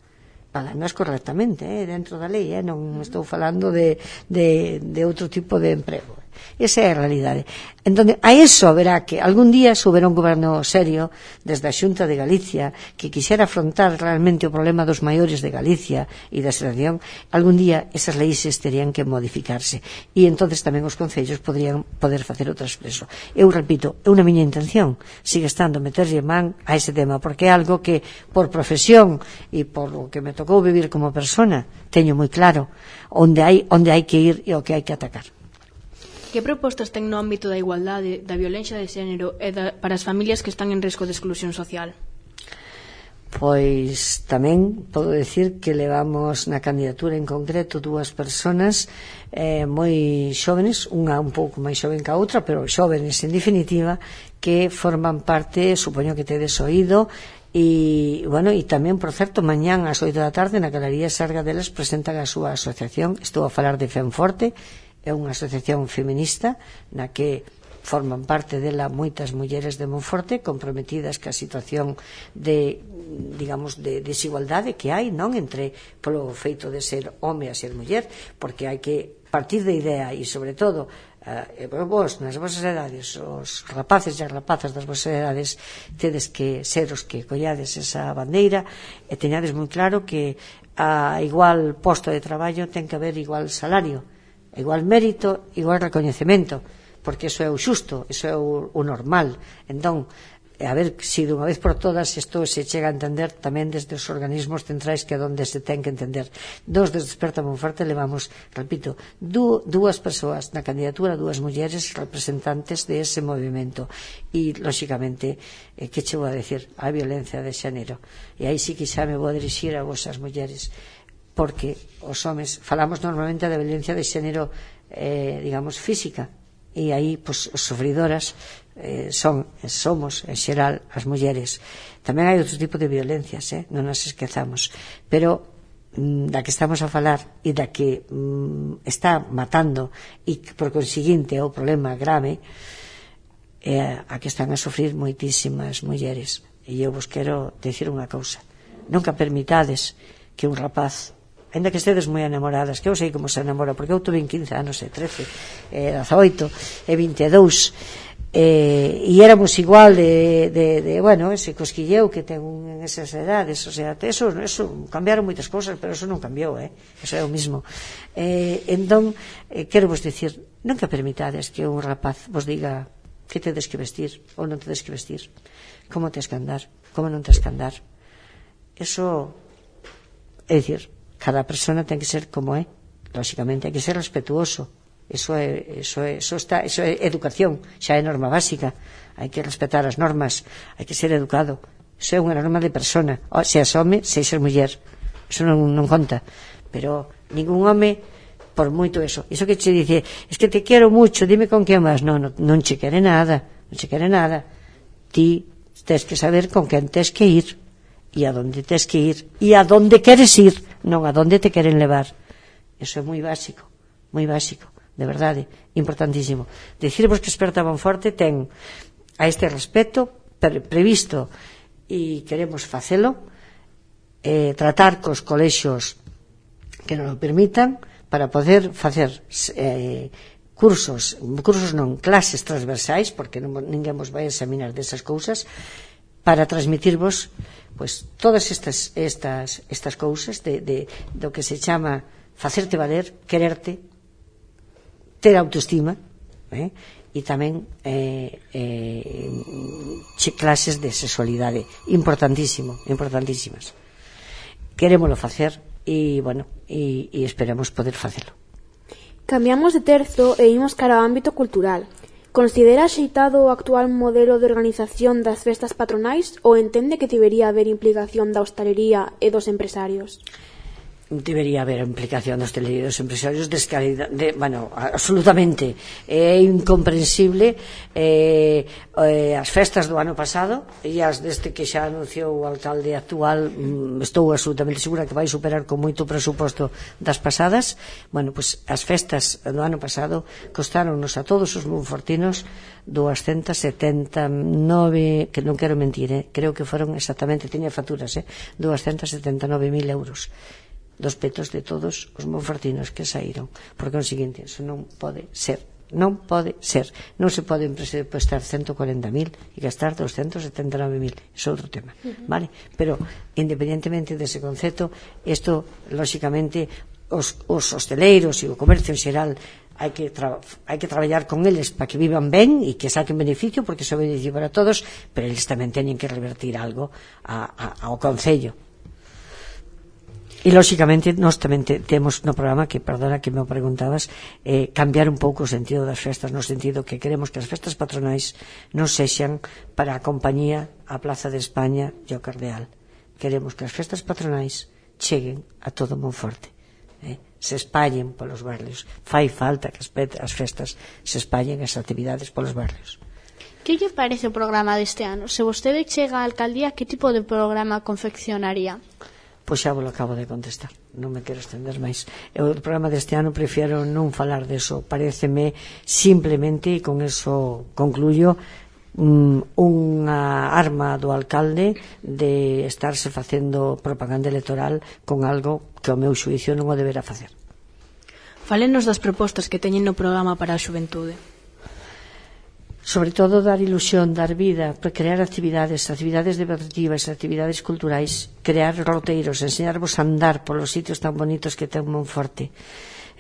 Pagándoas correctamente, eh, dentro da lei, eh, non estou falando de, de, de outro tipo de emprego. Esa é a realidade. Entón, a eso verá que algún día soubera un goberno serio desde a Xunta de Galicia que quixera afrontar realmente o problema dos maiores de Galicia e da xeración. Algún día esas leis terían que modificarse e entonces tamén os concellos podrían poder facer o traspreso. Eu repito, é unha miña intención, sigue estando meterlle man a ese tema, porque é algo que por profesión e por o que me tocou vivir como persona teño moi claro onde hai, onde hai que ir e o que hai que atacar. Que propostas ten no ámbito da igualdade, da violencia de xénero e da, para as familias que están en risco de exclusión social? Pois tamén podo decir que levamos na candidatura en concreto dúas persoas eh, moi xóvenes, unha un pouco máis xoven que a outra, pero xóvenes en definitiva, que forman parte, supoño que tedes oído, e, bueno, e tamén, por certo, mañán ás oito da tarde na Galería Sarga delas presentan a súa asociación. Estou a falar de Fenforte, é unha asociación feminista na que forman parte dela moitas mulleres de Monforte comprometidas ca situación de, digamos, de desigualdade que hai, non entre polo feito de ser home a ser muller, porque hai que partir da idea e, sobre todo, eh, vos, nas vosas edades, os rapaces e as rapazas das vosas edades, tedes que ser os que collades esa bandeira e teñades moi claro que a igual posto de traballo ten que haber igual salario, igual mérito, igual recoñecemento, porque iso é o xusto, iso é o, o normal. Entón, a ver se dunha vez por todas isto se chega a entender tamén desde os organismos centrais, que é onde se ten que entender. Dos desde Desperta Monforte levamos, repito, dú, dúas persoas na candidatura, dúas mulleres representantes de ese movimento e, lóxicamente, eh, que che vou a decir? A violencia de xénero. E aí sí que xa me vou a dirixir a vosas mulleres, porque os homes falamos normalmente da violencia de xénero, eh, digamos, física, e aí, pois, os sofridoras eh, son, somos, en xeral, as mulleres. Tamén hai outro tipo de violencias, eh, non nos esquezamos, pero mm, da que estamos a falar e da que mm, está matando e por conseguinte é o problema grave, é a que están a sofrir moitísimas mulleres. E eu vos quero decir unha cousa: nunca permitades que un rapaz ainda que estedes moi enamoradas, que eu sei como se enamora, porque eu tuve quince anos, e trece, e dezaoito, e vinte e dous, e, e éramos igual de, de, de, bueno, ese cosquilleo que ten en esas edades, o sea, eso, eso cambiaron moitas cousas, pero eso non cambiou, eh? Eso é o mismo. Eh, entón, eh, quero vos dicir, non que permitades que un rapaz vos diga que tedes que vestir ou non tedes que vestir, como tes que andar, como non tes que andar. Eso, é dicir, cada persona ten que ser como é, lógicamente hai que ser respetuoso. Eso é, eso é, eso está, eso é educación, xa é norma básica. Hai que respetar as normas, hai que ser educado. Eso é unha norma de persona, o, se as home, se ser muller. Eso non, non conta. Pero ningún home, por moito eso, iso que che dice, es que te quero mucho, dime con quen vas. Non, non, non che quere nada, non che quere nada. Ti tes que saber con quen tes que ir, e a donde tes que ir, e a donde queres ir, non a donde te queren levar. Eso é moi básico, moi básico. De verdade, importantísimo. Dicirvos que Experta Monforte ten a este respecto pre previsto e queremos facelo, eh, tratar cos colexios que non o permitan para poder facer eh, cursos, cursos non, clases transversais, porque non, ninguén vos vai examinar desas cousas, para transmitirvos pues, todas estas, estas, estas cousas de, de, do que se chama facerte valer, quererte, ter autoestima, eh? E tamén eh, eh, clases de sexualidade, importantísimo, importantísimas. Querémolo facer e, bueno, e, e esperamos poder facelo. Cambiamos de terzo e imos cara ao ámbito cultural. Considera axeitado o actual modelo de organización das festas patronais ou entende que debería haber implicación da hostalería e dos empresarios? Debería haber implicación dos hosteleros empresarios descalidad, de, bueno, absolutamente é incomprensible eh, eh, as festas do ano pasado e as deste que xa anunciou o alcalde actual, mm, estou absolutamente segura que vai superar con moito presuposto das pasadas. Bueno, pues as festas do ano pasado costaronnos a todos os monfortinos doscientos setenta e nove, que non quero mentir, eh, creo que foron exactamente, tiña facturas, eh, doscientos setenta e nove mil euros dos petos de todos os monfortinos que saíron. Por conseguinte, eso non pode ser, non pode ser, non se pode presupuestar ciento cuarenta mil e gastar doscientos setenta e nove mil, é outro tema, uh-huh. Vale? Pero independentemente dese concepto, isto lógicamente os, os hosteleiros e o comercio en xeral hai que, tra hai que traballar con eles para que vivan ben e que saquen beneficio, porque iso é beneficio para todos, pero eles tamén teñen que revertir algo a, a, ao concello. E, lógicamente, nós tamén te, temos no programa, que, perdona que me preguntabas, eh, cambiar un pouco o sentido das festas, no sentido que queremos que as festas patronais non sexan para a compañía, a Plaza de España e o Cardeal. Queremos que as festas patronais cheguen a todo Monforte, eh, se espallen polos barrios. Fai falta que as, as festas se espallen, as actividades polos barrios. Que lle parece o programa deste ano? Se vostede chega á alcaldía, que tipo de programa confeccionaría? Pois xa vos lo acabo de contestar, non me quero estender máis. O programa deste ano prefiero non falar deso, paréceme simplemente, e con eso concluyo, um, unha arma do alcalde de estarse facendo propaganda electoral con algo que ao meu xuicio non o deberá facer. Fálenos das propostas que teñen no programa para a xuventude. Sobre todo dar ilusión, dar vida, crear actividades, actividades deportivas, actividades culturais, crear roteiros, enseñarvos a andar polos sitios tan bonitos que ten Monforte,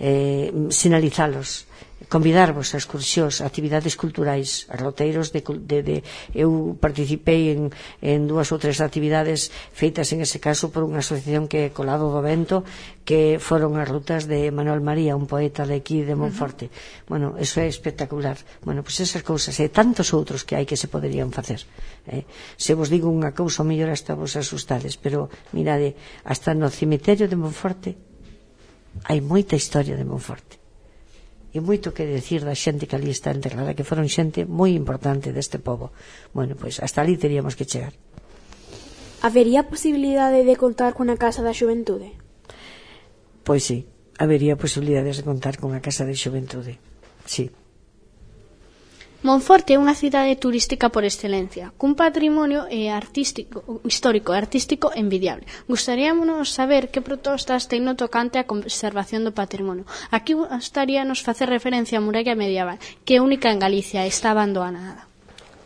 eh, sinalizalos, convidarvos a excursións, a actividades culturais, a roteiros de, de, de eu participei en, en dúas ou tres actividades feitas en ese caso por unha asociación que é Colado do Vento, que foron as rutas de Manuel María, un poeta de aquí de Monforte. Uh-huh. Bueno, eso é espectacular. Bueno, pois pues esas cousas e tantos outros que hai que se poderían facer, eh? Se vos digo unha cousa, o mellor hasta vos asustades, pero mirade, hasta no cemiterio de Monforte hai moita historia de Monforte e moito que decir da xente que ali está enterrada, que foron xente moi importante deste pobo. Bueno, pois hasta ali teríamos que chegar. Habería posibilidade de contar con a Casa da Xuventude? Pois sí, habería posibilidades de contar con a Casa da Xuventude, sí. Monforte é unha cidade turística por excelencia, cun patrimonio e artístico, histórico e artístico envidiable. Gustaríamonos saber que propostas ten no tocante á conservación do patrimonio. Aquí gustaríanos facer referencia á muralla medieval, que é única en Galicia e está abandonada.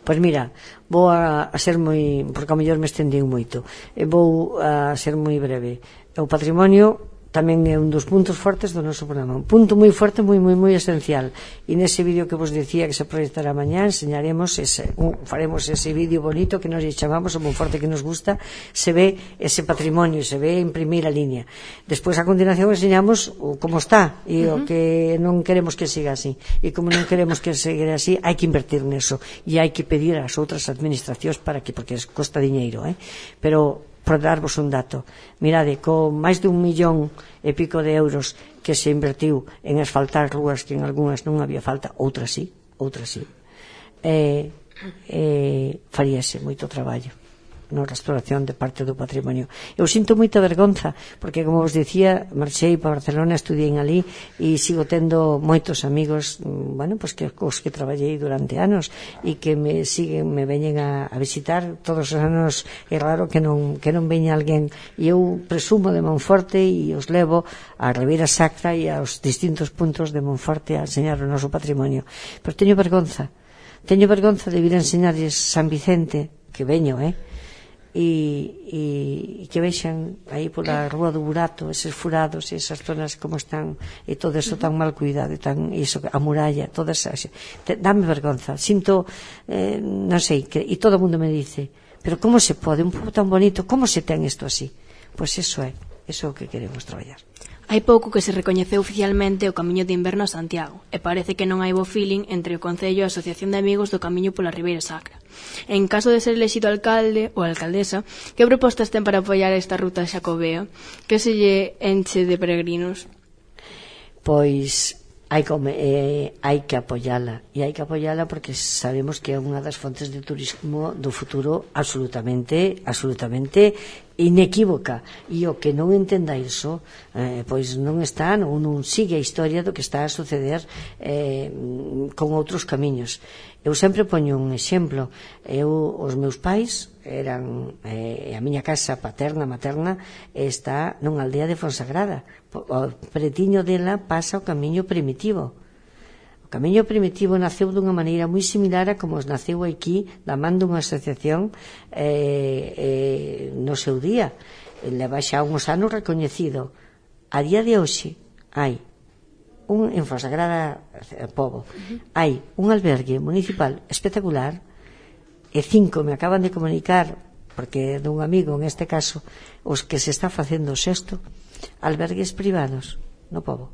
Pois mira, vou a, a ser moi, porque ao mellor me estendín moito, e vou a ser moi breve. O patrimonio tamén é un dos puntos fortes do noso programa, un punto moi forte, moi, moi, moi esencial, e nese vídeo que vos decía que se proyectará mañá, enseñaremos ese, un, faremos ese vídeo bonito que nos chamamos o Monforte que nos gusta, se ve ese patrimonio, se ve en primeira línea. Despois a continuación enseñamos o como está e uh -huh. o que non queremos que siga así, e como non queremos que siga así, hai que invertir neso e hai que pedir ás outras administracións para que, porque costa diñeiro, eh? Pero por darvos un dato, mirade, con máis de un millón e pico de euros que se invertiu en asfaltar rúas que en algunhas non había falta, outras sí, outras sí, eh, eh, faríase moito traballo na restauración de parte do patrimonio. Eu sinto moita vergonza, porque, como vos dicía, marchei para Barcelona, estudiei ali e sigo tendo moitos amigos, bueno, pues que cos que traballei durante anos e que me siguen, me veñen a, a visitar todos os anos. É raro que non, que non veña alguén, e eu presumo de Monforte e os levo á Ribeira Sacra e aos distintos puntos de Monforte a enseñar o noso patrimonio. Pero teño vergonza, teño vergonza de vir a enseñarles San Vicente, que veño, eh? E, e, e que vexan aí pola Rúa do Burato eses furados e esas zonas como están e todo eso tan mal cuidado, tan, iso, a muralla, todas esas, dame vergonza, sinto eh, non sei, que, e todo o mundo me dice, pero como se pode, un pobo tan bonito, como se ten isto así? Pois eso é, eso é o que queremos traballar. Hai pouco que se recoñeceu oficialmente o Camiño de Inverno a Santiago e parece que non hai bo feeling entre o Concello e a Asociación de Amigos do Camiño pola Ribeira Sacra. En caso de ser elexido alcalde ou alcaldesa, que propostas ten para apoiar esta ruta xacobea que se lle enche de peregrinos? Pois hai, come, eh, hai que apoiala, e hai que apoiala porque sabemos que é unha das fontes de turismo do futuro absolutamente absolutamente inequívoca, e o que non entenda iso eh, pois non está, ou non sigue a historia do que está a suceder eh, con outros camiños. Eu sempre poño un exemplo. Eu, os meus pais eran, eh, a miña casa paterna, materna está nunha aldea de Fonsagrada. O pretiño dela pasa o camiño primitivo. O camiño primitivo naceu dunha maneira moi similar a como naceu aquí, da man dunha asociación eh, eh, no seu día. Leva xa uns anos recoñecido. A día de hoxe hai un, en Fonsagrada Pobo, hai un albergue municipal espectacular, e cinco me acaban de comunicar, porque dun amigo, en este caso, os que se está facendo o sexto, albergues privados no Pobo.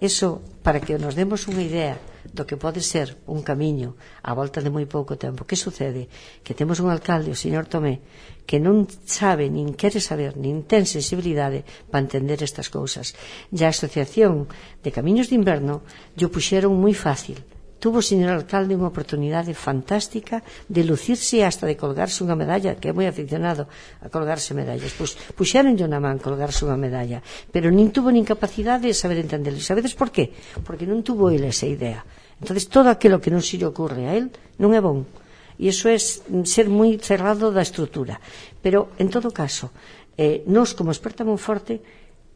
Eso, para que nos demos unha idea do que pode ser un camiño a volta de moi pouco tempo. Que sucede? Que temos un alcalde, o señor Tomé, que non sabe, nin quere saber, nin ten sensibilidade para entender estas cousas. E a Asociación de Camiños de Inverno lle puxeron moi fácil. Tuvo o señor alcalde unha oportunidade fantástica de lucirse hasta de colgarse unha medalla, que é moi aficionado a colgarse medallas. Pois puxeronlle na man colgarse unha medalla, pero nin tuvo nin capacidade de saber entenderlo. Sabedes por qué? Porque non tuvo ele esa idea. Entonces todo aquilo que non se lle ocurre a él non é bon. E iso é ser moi cerrado da estrutura. Pero, en todo caso, eh, nós como experta Monforte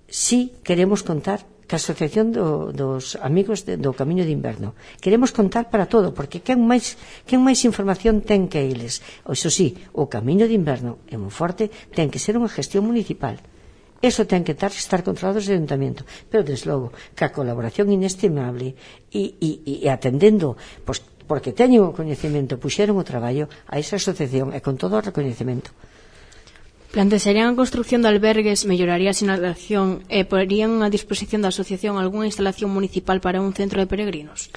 sí queremos contar que a Asociación do, dos Amigos de, do Camiño de Inverno. Queremos contar para todo, porque quen máis, quen máis información ten que eles. Iso sí, o Camiño de Inverno en Monforte ten que ser unha gestión municipal. Eso ten que estar, estar controlado desde o Ayuntamento. Pero, desde logo, que a colaboración inestimable e, e, e atendendo, pois, porque teñen o coñecemento, puxeron o traballo a esa asociación e con todo o recoñecemento. Plantearían a construcción de albergues, melloraría a sinalización e porían a disposición da asociación algunha instalación municipal para un centro de peregrinos?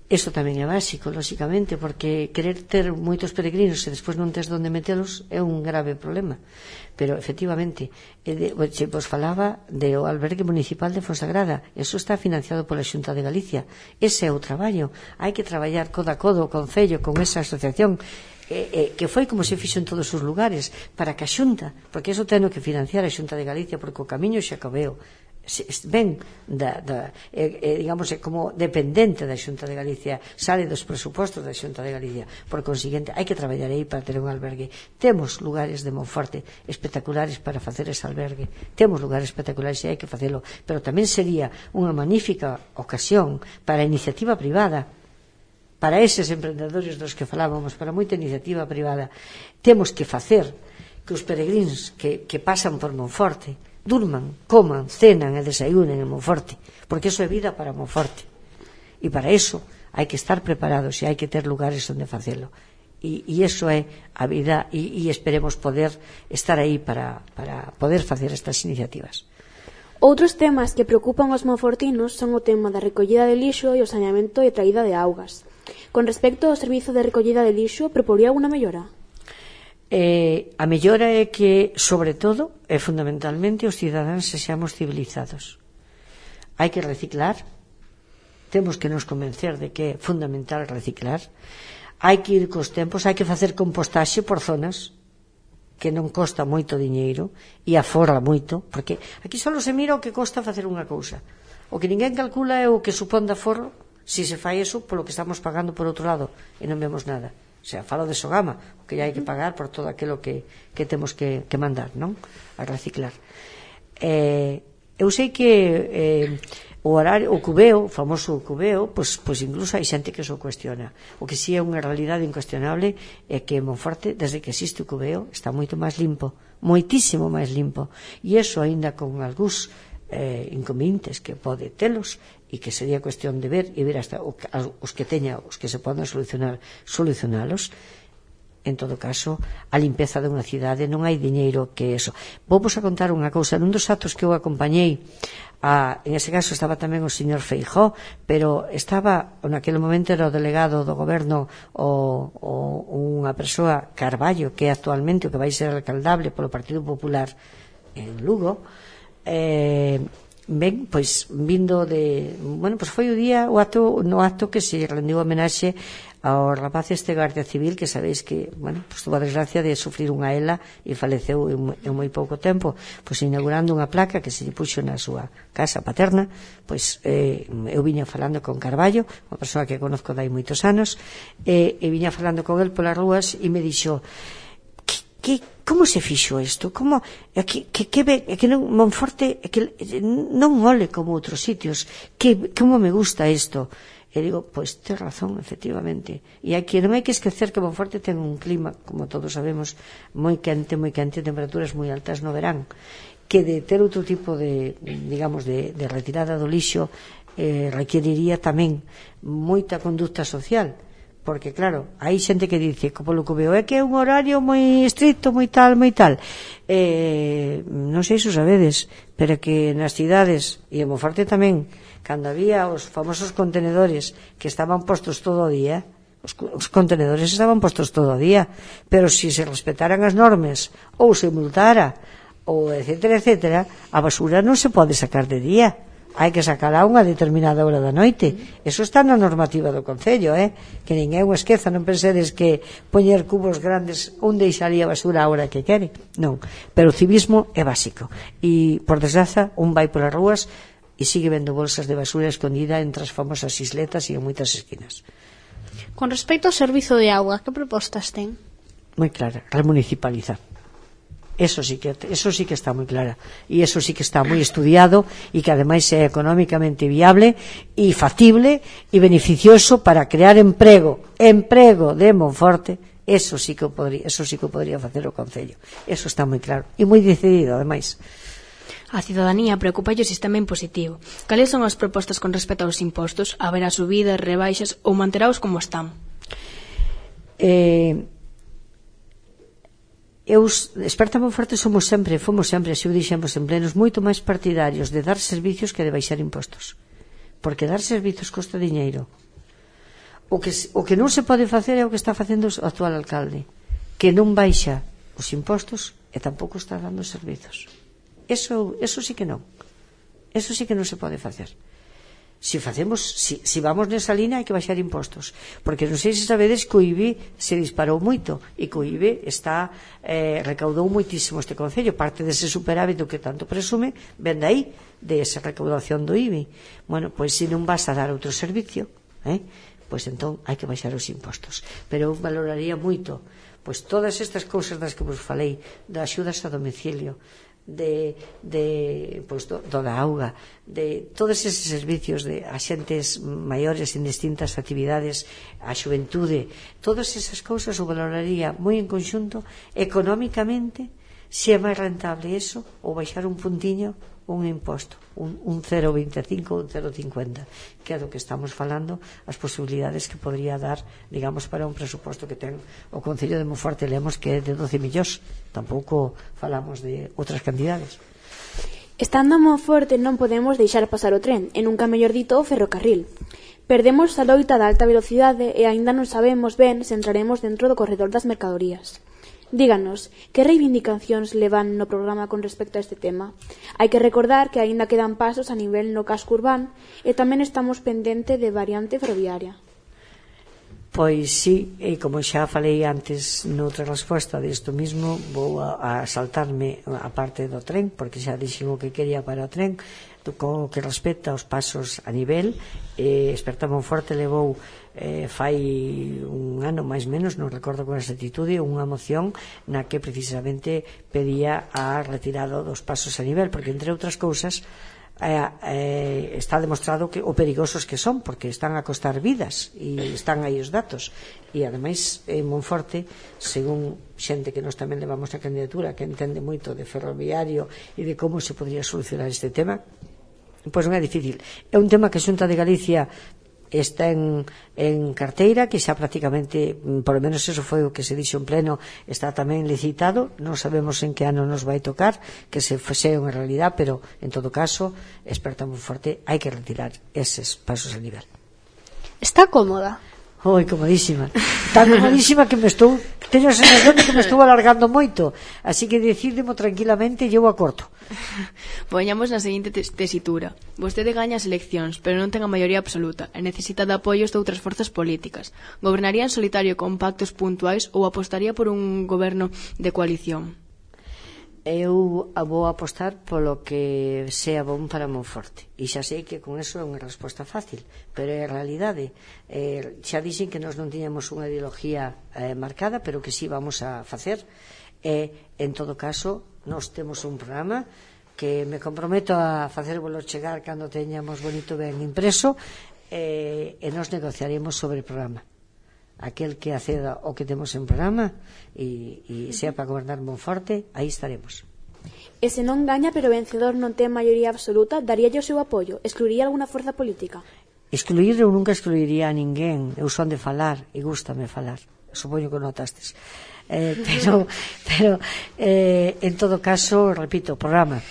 Iso tamén é básico, lóxicamente, porque querer ter moitos peregrinos e despois non tes onde metelos é un grave problema. Pero, efectivamente, se vos falaba do albergue municipal de Fonsagrada, eso está financiado pola Xunta de Galicia. Ese é o traballo. Hai que traballar codo a codo o Concello con esa asociación, eh, eh, que foi como se fixo en todos os lugares, para que a Xunta, porque eso ten que financiar a Xunta de Galicia, porque o camiño xa acabeu, ven da, da, eh, digamos, é como dependente da Xunta de Galicia, sale dos presupostos da Xunta de Galicia. Por consiguiente, hai que traballar aí para ter un albergue. Temos lugares de Monforte espectaculares para facer ese albergue, temos lugares espectaculares e hai que facelo, pero tamén sería unha magnífica ocasión para a iniciativa privada, para eses emprendedores dos que falábamos, para moita iniciativa privada. Temos que facer que os peregrins que, que pasan por Monforte durman, coman, cenan e desayunen en Monforte, porque eso é vida para Monforte, e para eso hai que estar preparados e hai que ter lugares onde facelo, e, e eso é a vida, e, e esperemos poder estar aí para, para poder facer estas iniciativas. Outros temas que preocupan os monfortinos son o tema da recollida de lixo e o saneamento e traída de augas. Con respecto ao servizo de recollida de lixo, proporía alguna mellora? Eh, a mellora é que, sobre todo, e fundamentalmente, os cidadáns sexamos civilizados. Hai que reciclar, temos que nos convencer de que é fundamental reciclar, hai que ir cos tempos, hai que facer compostaxe por zonas, que non costa moito diñeiro e aforra moito, porque aquí só se mira o que costa facer unha cousa, o que ninguén calcula é o que supón de aforro se se fai eso polo que estamos pagando por outro lado e non vemos nada. O sea, falo de Sogama, o que hai que pagar por todo aquilo que, que temos que, que mandar, non? A reciclar. Eh, eu sei que eh, o horario, o cubeo, o famoso cubeo, pois, pois incluso hai xente que o cuestiona. O que si é unha realidade incuestionable é que Monforte, desde que existe o cubeo, está moito máis limpo, moitísimo máis limpo. E iso aínda con algúns eh, inconvenientes que pode telos, e que sería cuestión de ver e ver hasta os que teña, os que se poden solucionar, solucionalos. En todo caso, a limpeza de unha cidade non hai diñeiro que eso. Vou vos a contar unha cousa. Nun dos actos que eu acompañei, a, en ese caso estaba tamén o señor Feijóo, pero estaba, naquele momento era o delegado do goberno, o, o, unha persoa, Carballo, que é actualmente o que vai ser alcaldable polo Partido Popular en Lugo. eh, Ben, pois, vindo de... Bueno, pois foi o día, o acto, no acto que se rendiu homenaxe ao rapaz este Gardia Civil, que sabéis que, bueno, pois tuvo a desgracia de sufrir unha ela e faleceu en, en moi pouco tempo, pois inaugurando unha placa que se lle puxo na súa casa paterna. Pois eh, eu viña falando con Carballo, unha persoa que conozco dai moitos anos, e, e viña falando con el polas rúas e me dixo: que, como se fixo isto? Como, é que, que, que, é que non, Monforte é que non ole como outros sitios, que, como me gusta isto? E digo, pois, ten razón, efectivamente. E aquí non hai que esquecer que Monforte ten un clima, como todos sabemos, moi quente, moi quente, temperaturas moi altas no verán, que de ter outro tipo de, digamos, de, de retirada do lixo eh, requeriría tamén moita conducta social. Porque, claro, hai xente que dice, polo que veo, é que é un horario moi estricto, moi tal, moi tal. Eh, non sei se o sabedes, pero que nas cidades, e en Monforte tamén, cando había os famosos contenedores que estaban postos todo o día, os, os contenedores estaban postos todo o día, pero se se respetaran as normas, ou se multara, ou etcétera, etcétera, a basura non se pode sacar de día. Hai que sacarla a unha determinada hora da noite. Eso está na normativa do Concello, eh? Que ninguén o esqueza, non pensedes que poñer cubos grandes un deixaría a basura a hora que quere. Non, pero o civismo é básico. E, por desgraza, un vai polas rúas e sigue vendo bolsas de basura escondida entre as famosas isletas e en moitas esquinas. Con respecto ao servizo de auga, que propostas ten? Moi clara, remunicipalizar. Eso sí que eso sí que está moi clara e eso sí que está moi estudiado e que ademais é económicamente viable e factible e beneficioso para crear emprego, emprego de Monforte. Eso sí que o podría, eso sí que o podría facer o Concello. Eso está moi claro e moi decidido ademais. A cidadanía preocupa o sistema impositivo. Cales son as propostas con respecto aos impostos? Haberá subidas, rebaixas ou manteraos como están? Eh Eu, experta Monforte, somos sempre, fomos sempre, se o dixemos en plenos, moito máis partidarios de dar servicios que de baixar impostos. Porque dar servicios costa diñeiro. O que, o que non se pode facer é o que está facendo o actual alcalde, que non baixa os impostos e tampouco está dando servizos. Eso, eso sí que non. Eso sí que non se pode facer. Si facemos, si, si vamos nesa línea hai que baixar impostos, porque non sei se sabedes que o I B I se disparou moito e que o I B I está eh, recaudou moitísimo este concello, parte dese superávit do que tanto presume ven de aí, de esa recaudación do I B I. Bueno, pois se non vas a dar outro servicio, eh, pois entón hai que baixar os impostos, pero eu valoraría moito pois todas estas cousas das que vos falei, das axudas a domicilio, de, de pois, do, do da auga, de todos eses servicios de axentes maiores en distintas actividades, a xuventude, todas esas cousas o valoraría moi en conxunto económicamente, se é máis rentable eso ou baixar un puntiño un imposto, un, un cero coma veinticinco ou un cero coma cincuenta, que é do que estamos falando, as posibilidades que podría dar, digamos, para un presuposto que ten o Concello de Monforte Lemos, que é de doce millóns. Tampouco falamos de outras cantidades. Estando a Monforte non podemos deixar pasar o tren, e nunca mellor dito o ferrocarril. Perdemos a loita da alta velocidade e aínda non sabemos ben se entraremos dentro do corredor das mercadorías. Díganos, que reivindicacións levan no programa con respecto a este tema? Hai que recordar que aínda quedan pasos a nivel no casco urbano e tamén estamos pendente de variante ferroviaria. Pois sí, e como xa falei antes noutra resposta disto mismo, vou a, a saltarme a parte do tren, porque xa dixen o que quería para o tren, co que respecta aos pasos a nivel. eh, Experta Monforte levou eh, fai un ano máis menos, non recordo con exactitude, unha moción na que precisamente pedía a retirada dos pasos a nivel, porque entre outras cousas eh, eh, está demostrado que o perigosos que son, porque están a costar vidas e están aí os datos. E ademais en Monforte, según xente que nos tamén levamos a candidatura, que entende moito de ferroviario e de como se podría solucionar este tema, pois non é difícil. É un tema que a Xunta de Galicia está en, en carteira, que xa prácticamente, por lo menos eso foi o que se dixo en pleno, está tamén licitado. Non sabemos en que ano nos vai tocar que se fose unha realidad, pero en todo caso, Experta Monforte, hai que retirar eses pasos a nivel. Está cómoda? Oi, comodísima. Tan comodísima que me estou, teño a sensación de que me estou alargando moito, así que decídemo tranquilamente e eu a corto. Poñamos na seguinte tesitura: vostede gaña as eleccións, pero non ten a maioría absoluta e necesita de apoios de outras forzas políticas. Gobernaría en solitario con pactos puntuais ou apostaría por un goberno de coalición? Eu vou apostar polo que sea bom para Monforte, e xa sei que con eso é unha resposta fácil, pero é a realidade. eh, xa dixen que nós non tiñamos unha ideología eh, marcada, pero que sí vamos a facer. E, en todo caso, nós temos un programa que me comprometo a facervolo chegar cando teñamos bonito ben impreso, eh, e nós negociaremos sobre o programa. Aquel que acceda o que temos en programa e, e sea para gobernar Monforte, aí estaremos. E se non gaña pero o vencedor non ten maioría absoluta, daríalle o seu apoio? Excluiría alguna forza política? Excluir, eu nunca excluiría a ninguén. Eu son de falar e gústame falar. Supoño que notastes. Eh, pero, pero eh, en todo caso, repito, o programa.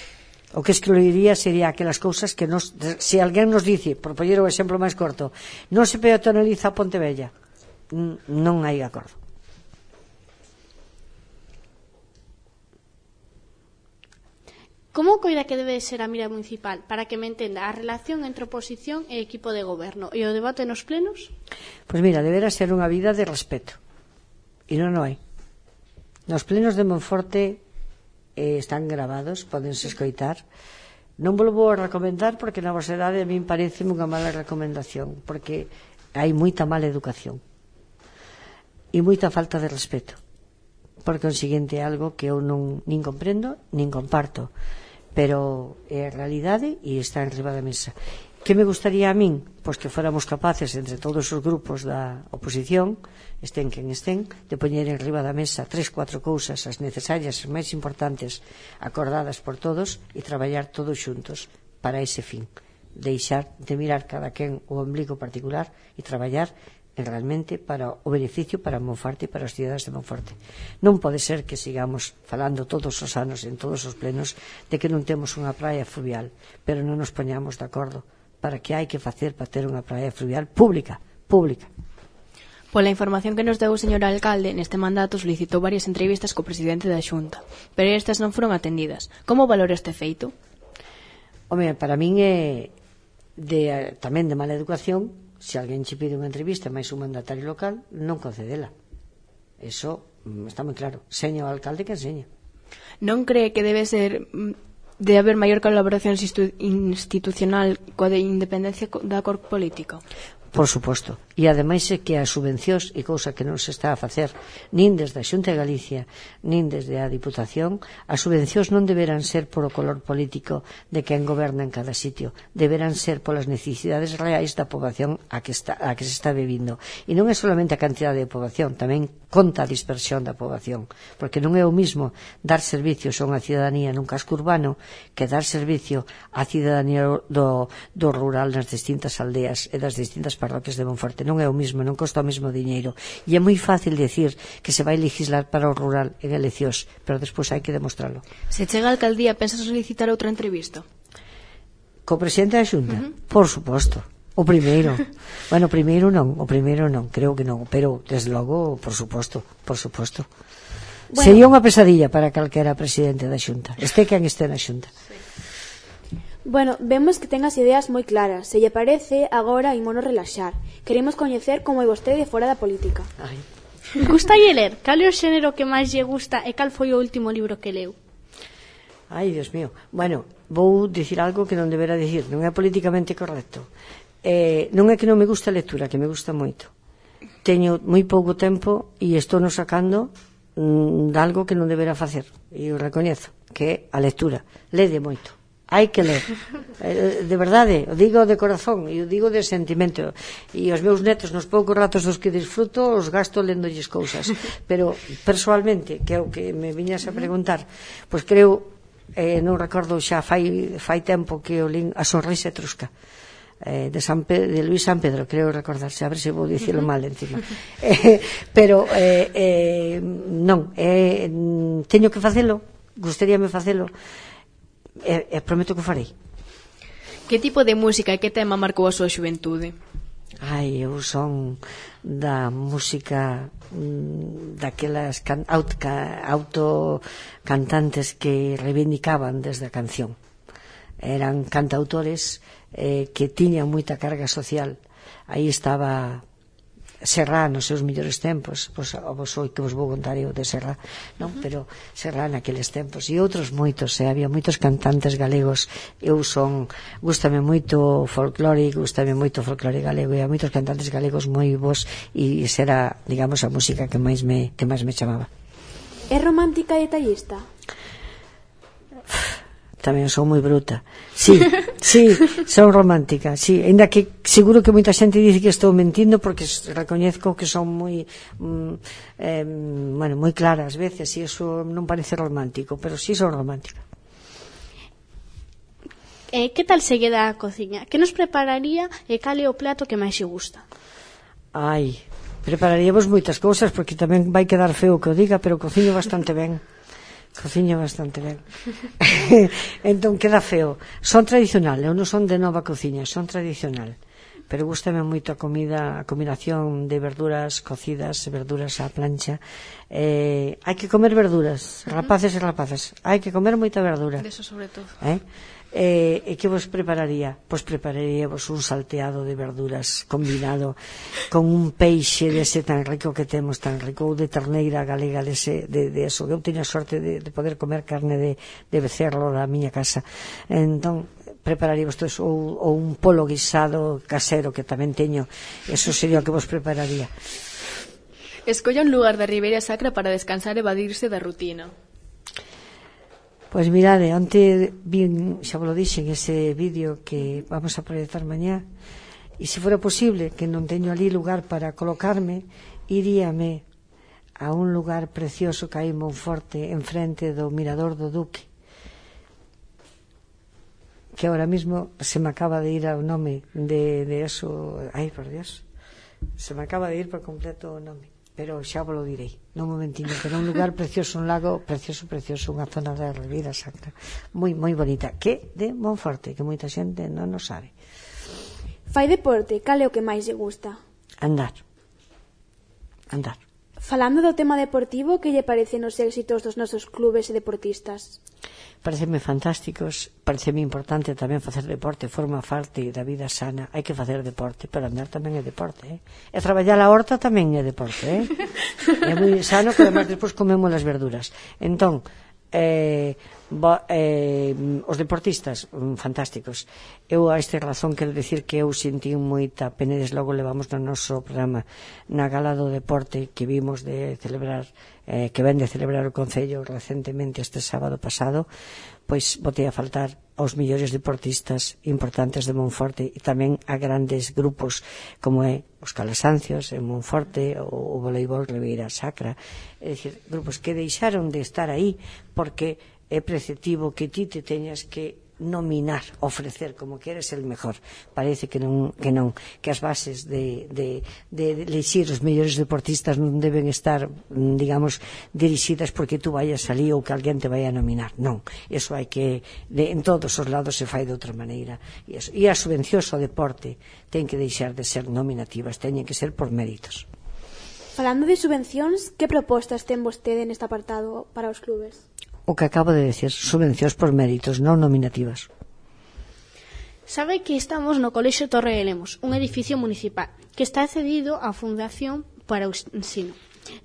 O que excluiría sería aquelas cousas que nos, se alguén nos dice, por poñer o exemplo máis corto, non se peatonaliza a Pontevella, non hai acordo. Como coida que debe ser a mira municipal para que me entenda a relación entre oposición e equipo de goberno e o debate nos plenos? Pois mira, deberá ser unha vida de respeto, e non o hai. Nos plenos de Monforte eh, están gravados, podense escoitar. Non vos vou a recomendar porque na vosedade a min parece unha mala recomendación, porque hai moita mala educación e moita falta de respeto. Por consiguiente, algo que eu non nin comprendo nin comparto, pero é a realidade e está en riba da mesa. Que me gustaría a min? Pois que fóramos capaces entre todos os grupos da oposición, estén quen estén, de poñer en riba da mesa tres, cuatro cousas, as necesarias, as máis importantes, acordadas por todos, e traballar todos xuntos para ese fin. Deixar de mirar cada quen o ombligo particular e traballar realmente para o beneficio para Monforte e para os cidadanos de Monforte. Non pode ser que sigamos falando todos os anos en todos os plenos de que non temos unha praia fluvial, pero non nos poñamos de acordo para que hai que facer para ter unha praia fluvial pública, pública. Pola información que nos deu o señor alcalde, neste mandato solicitou varias entrevistas co presidente da Xunta, pero estas non foron atendidas. Como valora este feito? Home, para min é de, tamén de mala educación, se alguén che pide unha entrevista máis un mandatario local, non concedela. Eso está moi claro. Seña o alcalde que enseña. Non cree que debe ser de haber maior colaboración institucional coa de independencia da cor política? Por suposto. E ademais é que as subvencións, e cousa que non se está a facer nin desde a Xunta de Galicia nin desde a Diputación, as subvencións non deberán ser polo color político de quen goberna en cada sitio, deberán ser polas necesidades reais da poboación a que, está, a que se está vivindo. E non é solamente a cantidade de poboación, tamén conta a dispersión da poboación, porque non é o mismo dar servicios a unha cidadanía nun casco urbano que dar servicio á cidadanía do, do rural nas distintas aldeas e das distintas parroquias de Monforte. Non é o mismo, non costa o mesmo diñeiro. E é moi fácil decir que se vai legislar para o rural en eleccións, pero despois hai que demostrarlo. Se chega a alcaldía, pensas solicitar outra entrevista? Co presidente da Xunta? Uh-huh. Por suposto. O primeiro. Bueno, o primeiro non, o primeiro non, creo que non, pero desde logo, por suposto, por suposto. Bueno. Sería unha pesadilla para calquera presidente da Xunta, este quen este na Xunta. Sí. Bueno, vemos que ten as ideas moi claras. Se lle parece, agora ímonos relaxar. Queremos coñecer como é vostede fora da política. Ai. Gustalle ler? Cal é o xénero que máis lle gusta e cal foi o último libro que leu? Ai, Dios mío. Bueno, vou dicir algo que non debera dicir. Non é políticamente correcto. Eh, non é que non me gusta a lectura, que me gusta moito. Teño moi pouco tempo e estou no sacando mm, de algo que non debera facer. E o recoñezo, que é a lectura. Lede moito. Hai que ler, de verdade, o digo de corazón e o digo de sentimento, e os meus netos nos poucos ratos dos que disfruto os gasto lendolles cousas, pero persoalmente, que é o que me viñas a preguntar, pois creo, eh, non recordo xa fai, fai tempo que o lin A sonrisa etrusca eh, de, San Pe- de Luis San Pedro, creo recordarse, a ver se vou dicirlo mal encima, eh, pero eh, eh, non, eh, teño que facelo, gustaríame facelo, E, e prometo que o farei. Que tipo de música e que tema marcou a súa xuventude? Ai, eu son da música mm, daquelas can, auto, autocantantes que reivindicaban desde a canción. Eran cantautores eh, que tiñan moita carga social. Aí estaba Serrá nos seus mellores tempos, pois vos oi que vos vou contar eu de Serrá, non? Uh-huh. Pero Serrá naqueles tempos e outros moitos, e había moitos cantantes galegos. Eu son, gústame moito o folclore, gústame moito o folclore galego, e há moitos cantantes galegos moi bons, e será, digamos, a música que máis me que máis me chamaba. É romántica e detallista? Tamén son moi bruta. Sí, sí, son romántica, sí, ainda que seguro que moita xente dice que estou mentindo porque recoñezco que son moi mm, eh, bueno, moi clara ás veces e iso non parece romántico, pero sí son romántica. Eh, que tal se queda a cociña? Que nos prepararía e cal é o plato que máis lle gusta? Ai, prepararíamos moitas cousas porque tamén vai quedar feo que o diga, pero cociño bastante ben. Cociño bastante ben. Entón queda feo. Son tradicional, eu non son de nova cociña, son tradicional. Pero gústame moito a comida, a combinación de verduras cocidas, verduras á plancha. Eh, hai que comer verduras, rapaces e rapazas. Hai que comer moita verdura. Deso sobre todo. Eh? Eh, e que vos prepararía? Pois prepararíamos un salteado de verduras combinado con un peixe dese tan rico que temos, tan rico, ou de terneira galega dese, de, de eso. Eu teño a sorte de, de poder comer carne de, de becerro da miña casa. Entón prepararíamos todo eso, ou, ou un polo guisado casero que tamén teño. Eso sería o que vos prepararía. Escolla un lugar da Ribeira Sacra para descansar e evadirse da rutina. Pois mirade, onte vin, xa vos lo dixen, ese vídeo que vamos a proyectar mañá, e se fora posible, que non teño ali lugar para colocarme, iríame a un lugar precioso que hai en Monforte, enfrente do Mirador do Duque, que ahora mismo se me acaba de ir ao nome de, de eso, ai, por Dios, se me acaba de ir por completo o nome, pero xa vos lo direi nun momentiño, pero un lugar precioso, un lago precioso, precioso, unha zona da Ribeira Sacra moi, moi bonita, que de Monforte, que moita xente non o sabe. Fai deporte, cal é o que máis lle gusta? Andar andar Falando do tema deportivo, que lle parecen os éxitos dos nosos clubes e deportistas? Pareceme fantásticos, pareceme importante tamén facer deporte, forma parte da vida sana, hai que facer deporte, pero andar tamén é deporte, eh? E traballar a horta tamén é deporte, eh? É moi sano, que además despois comemos as verduras. Entón, eh, bo, eh, os deportistas, fantásticos. Eu a esta razón quero dicir que eu sentí moita pena, desde logo levamos no noso programa na gala do deporte que vimos de celebrar, eh, que ven de celebrar o Concello recentemente este sábado pasado, pois botei a faltar aos millores deportistas importantes de Monforte e tamén a grandes grupos como é os Calasancios en Monforte, o, o voleibol Ribeira Sacra, é dicir, grupos que deixaron de estar aí porque é preceptivo que ti te teñas que nominar, ofrecer como que eres el mejor. Parece que non, que non, que as bases de, de, de elixir os mellores deportistas non deben estar, digamos, dirixidas porque tú vayas ali ou que alguén te vaya a nominar. Non, eso hai que, de, en todos os lados se fai de outra maneira. E, eso, e as subvencións ao deporte ten que deixar de ser nominativas, teñen que ser por méritos. Falando de subvencións, que propostas ten vostede neste apartado para os clubes? O que acabo de decir, subvencións por méritos, non nominativas. Sabe que estamos no Colexio Torre de Lemos, un edificio municipal que está cedido á Fundación para o Ensino.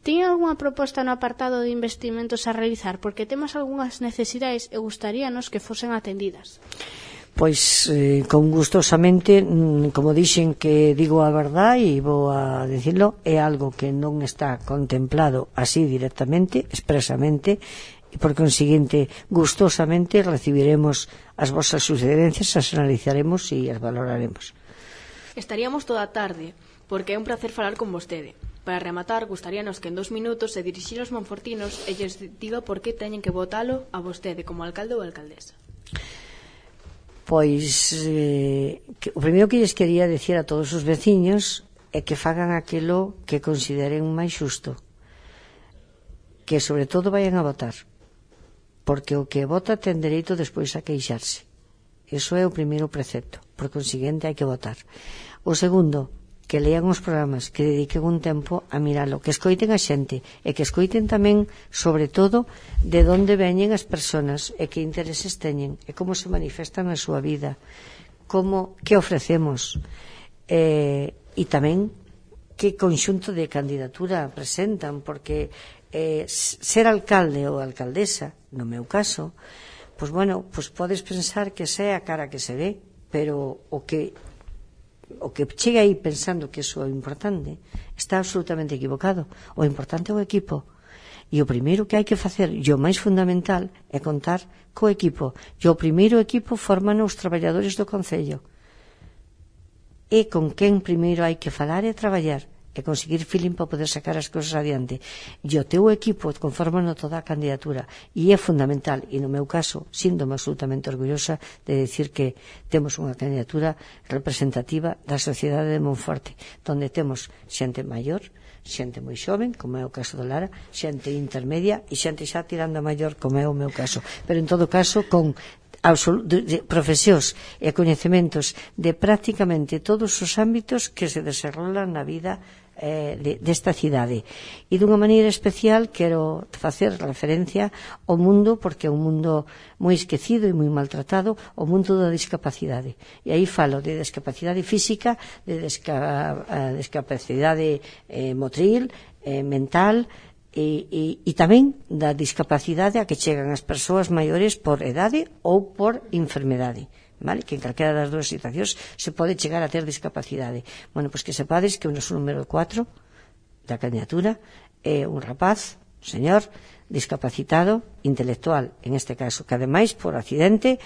Ten algunha proposta no apartado de investimentos a realizar? Porque temos algunhas necesidades e gustaríanos que fosen atendidas. Pois, eh, con gustosamente, como dixen que digo a verdade e vou a decirlo, é algo que non está contemplado así directamente, expresamente, e por consiguiente, gustosamente recibiremos as vosas sugerencias, as analizaremos e as valoraremos. Estaríamos toda a tarde, porque é un placer falar con vostede. Para rematar, gustaríanos que en dos minutos se dirixir aos monfortinos e lles diga por que teñen que votalo a vostede como alcalde ou alcaldesa. Pois, eh, que, o primeiro que lles quería decir a todos os veciños é que fagan aquilo que consideren máis xusto, que sobre todo vayan a votar, porque o que vota ten dereito despois a queixarse. Iso é o primeiro precepto, por consiguiente hai que votar. O segundo, que lean os programas, que dediquen un tempo a miralo, que escoiten a xente e que escoiten tamén, sobre todo, de onde veñen as persoas e que intereses teñen e como se manifestan na súa vida, como, que ofrecemos eh, e tamén que conxunto de candidatura presentan, porque eh, ser alcalde ou alcaldesa, no meu caso, pois bueno, pois podes pensar que sea a cara que se ve, pero o que o que chega aí pensando que iso é importante está absolutamente equivocado. O importante é o equipo, e o primeiro que hai que facer, e o máis fundamental, é contar co equipo, e o primeiro equipo forman os traballadores do Concello, e con quen primeiro hai que falar e traballar e conseguir feeling para poder sacar as cousas adiante. E o teu equipo conforman toda a candidatura, e é fundamental, e no meu caso síntome absolutamente orgullosa de decir que temos unha candidatura representativa da sociedade de Monforte, donde temos xente maior, xente moi xoven, como é o caso do Lara, xente intermedia e xente xa tirando a maior, como é o meu caso, pero en todo caso con de profesións e coñecementos de prácticamente todos os ámbitos que se desarrollan na vida eh, de, desta cidade. E dunha maneira especial quero facer referencia ao mundo, porque é un mundo moi esquecido e moi maltratado, o mundo da discapacidade. E aí falo de discapacidade física, de desca, discapacidade eh, motril, eh, mental, E, e, e tamén da discapacidade a que chegan as persoas maiores por edade ou por enfermedade, vale? Que en calquera das dúas situacións se pode chegar a ter discapacidade. Bueno, pois que sepades que o noso número cuatro da candidatura é un rapaz, un señor discapacitado intelectual, en este caso, que ademais por accidente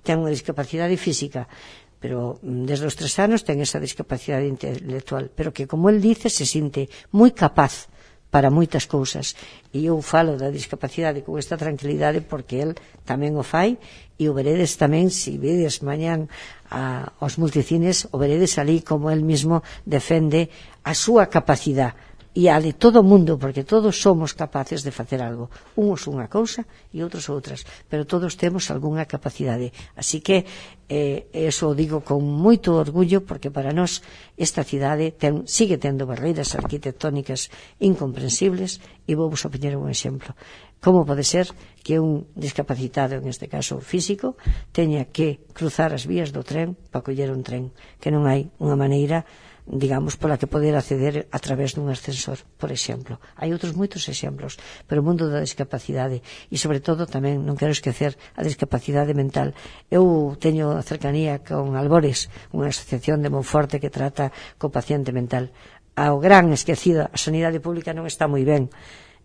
ten unha discapacidade física, pero desde os tres anos ten esa discapacidade intelectual, pero que, como el dice, se sinte moi capaz para moitas cousas, e eu falo da discapacidade con esta tranquilidade porque el tamén o fai, e o veredes tamén, se vedes mañán a, aos multicines, o veredes ali como el mismo defende a súa capacidade e a de todo o mundo, porque todos somos capaces de facer algo, uns unha cousa e outros outras, pero todos temos algunha capacidade, así que eh, eso o digo con moito orgullo, porque para nós esta cidade ten, sigue tendo barreiras arquitectónicas incomprensibles, e vou vos a poñer un exemplo. Como pode ser que un discapacitado, en este caso físico, teña que cruzar as vías do tren para coller un tren, que non hai unha maneira, digamos, pola que poder acceder a través dun ascensor, por exemplo. Hai outros moitos exemplos, pero o mundo da discapacidade, e sobre todo tamén non quero esquecer a discapacidade mental. Eu teño cercanía con Albores, unha asociación de Monforte que trata co paciente mental. Ao gran esquecido, a sanidade pública non está moi ben,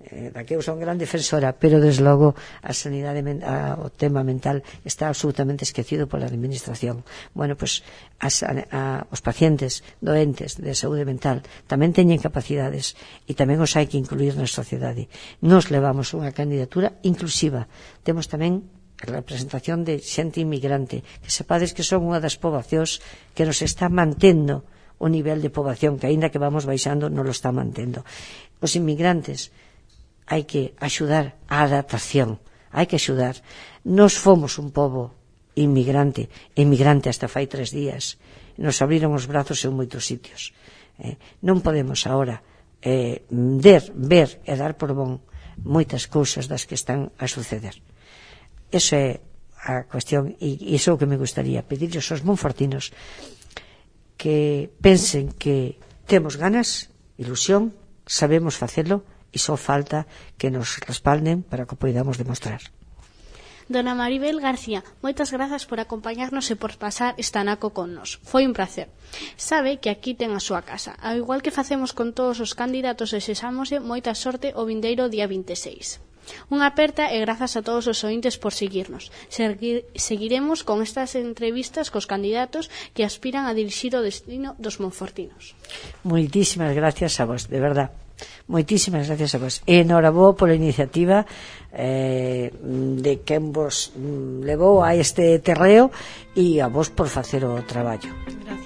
eh, da que eu son gran defensora, pero desde logo a sanidade, a, o tema mental está absolutamente esquecido pola administración. Bueno, pues as, a, a, os pacientes doentes de saúde mental tamén teñen capacidades e tamén os hai que incluir na sociedade. Nos levamos unha candidatura inclusiva. Temos tamén a representación de xente inmigrante, que sepades que son unha das poboacións que nos está mantendo o nivel de poboación, que aínda que vamos baixando non lo está mantendo. Os inmigrantes hai que axudar a adaptación, hai que axudar. Nos fomos un pobo inmigrante, inmigrante hasta fai tres días, nos abriron os brazos en moitos sitios. Eh, non podemos agora eh, ver, ver e dar por bon moitas cousas das que están a suceder. Eso é a cuestión, e iso é o que me gustaría pedirles aos monfortinos, que pensen que temos ganas, ilusión, sabemos facelo, e só falta que nos respalden para que o poidamos demostrar. Dona Maribel García, moitas grazas por acompañarnos e por pasar esta naco con nos. Foi un placer. Sabe que aquí ten a súa casa. Ao igual que facemos con todos os candidatos, desexámoslle moita sorte o vindeiro día vinte e seis. Unha aperta e grazas a todos os ointes por seguirnos. Segui- seguiremos con estas entrevistas cos candidatos que aspiran a dirixir o destino dos monfortinos. Moitísimas gracias a vos, de verdad. Moitísimas gracias a vos. E enhoraboa pola iniciativa eh, de quen vos levou a este terreo, e a vos por facer o traballo. Gracias.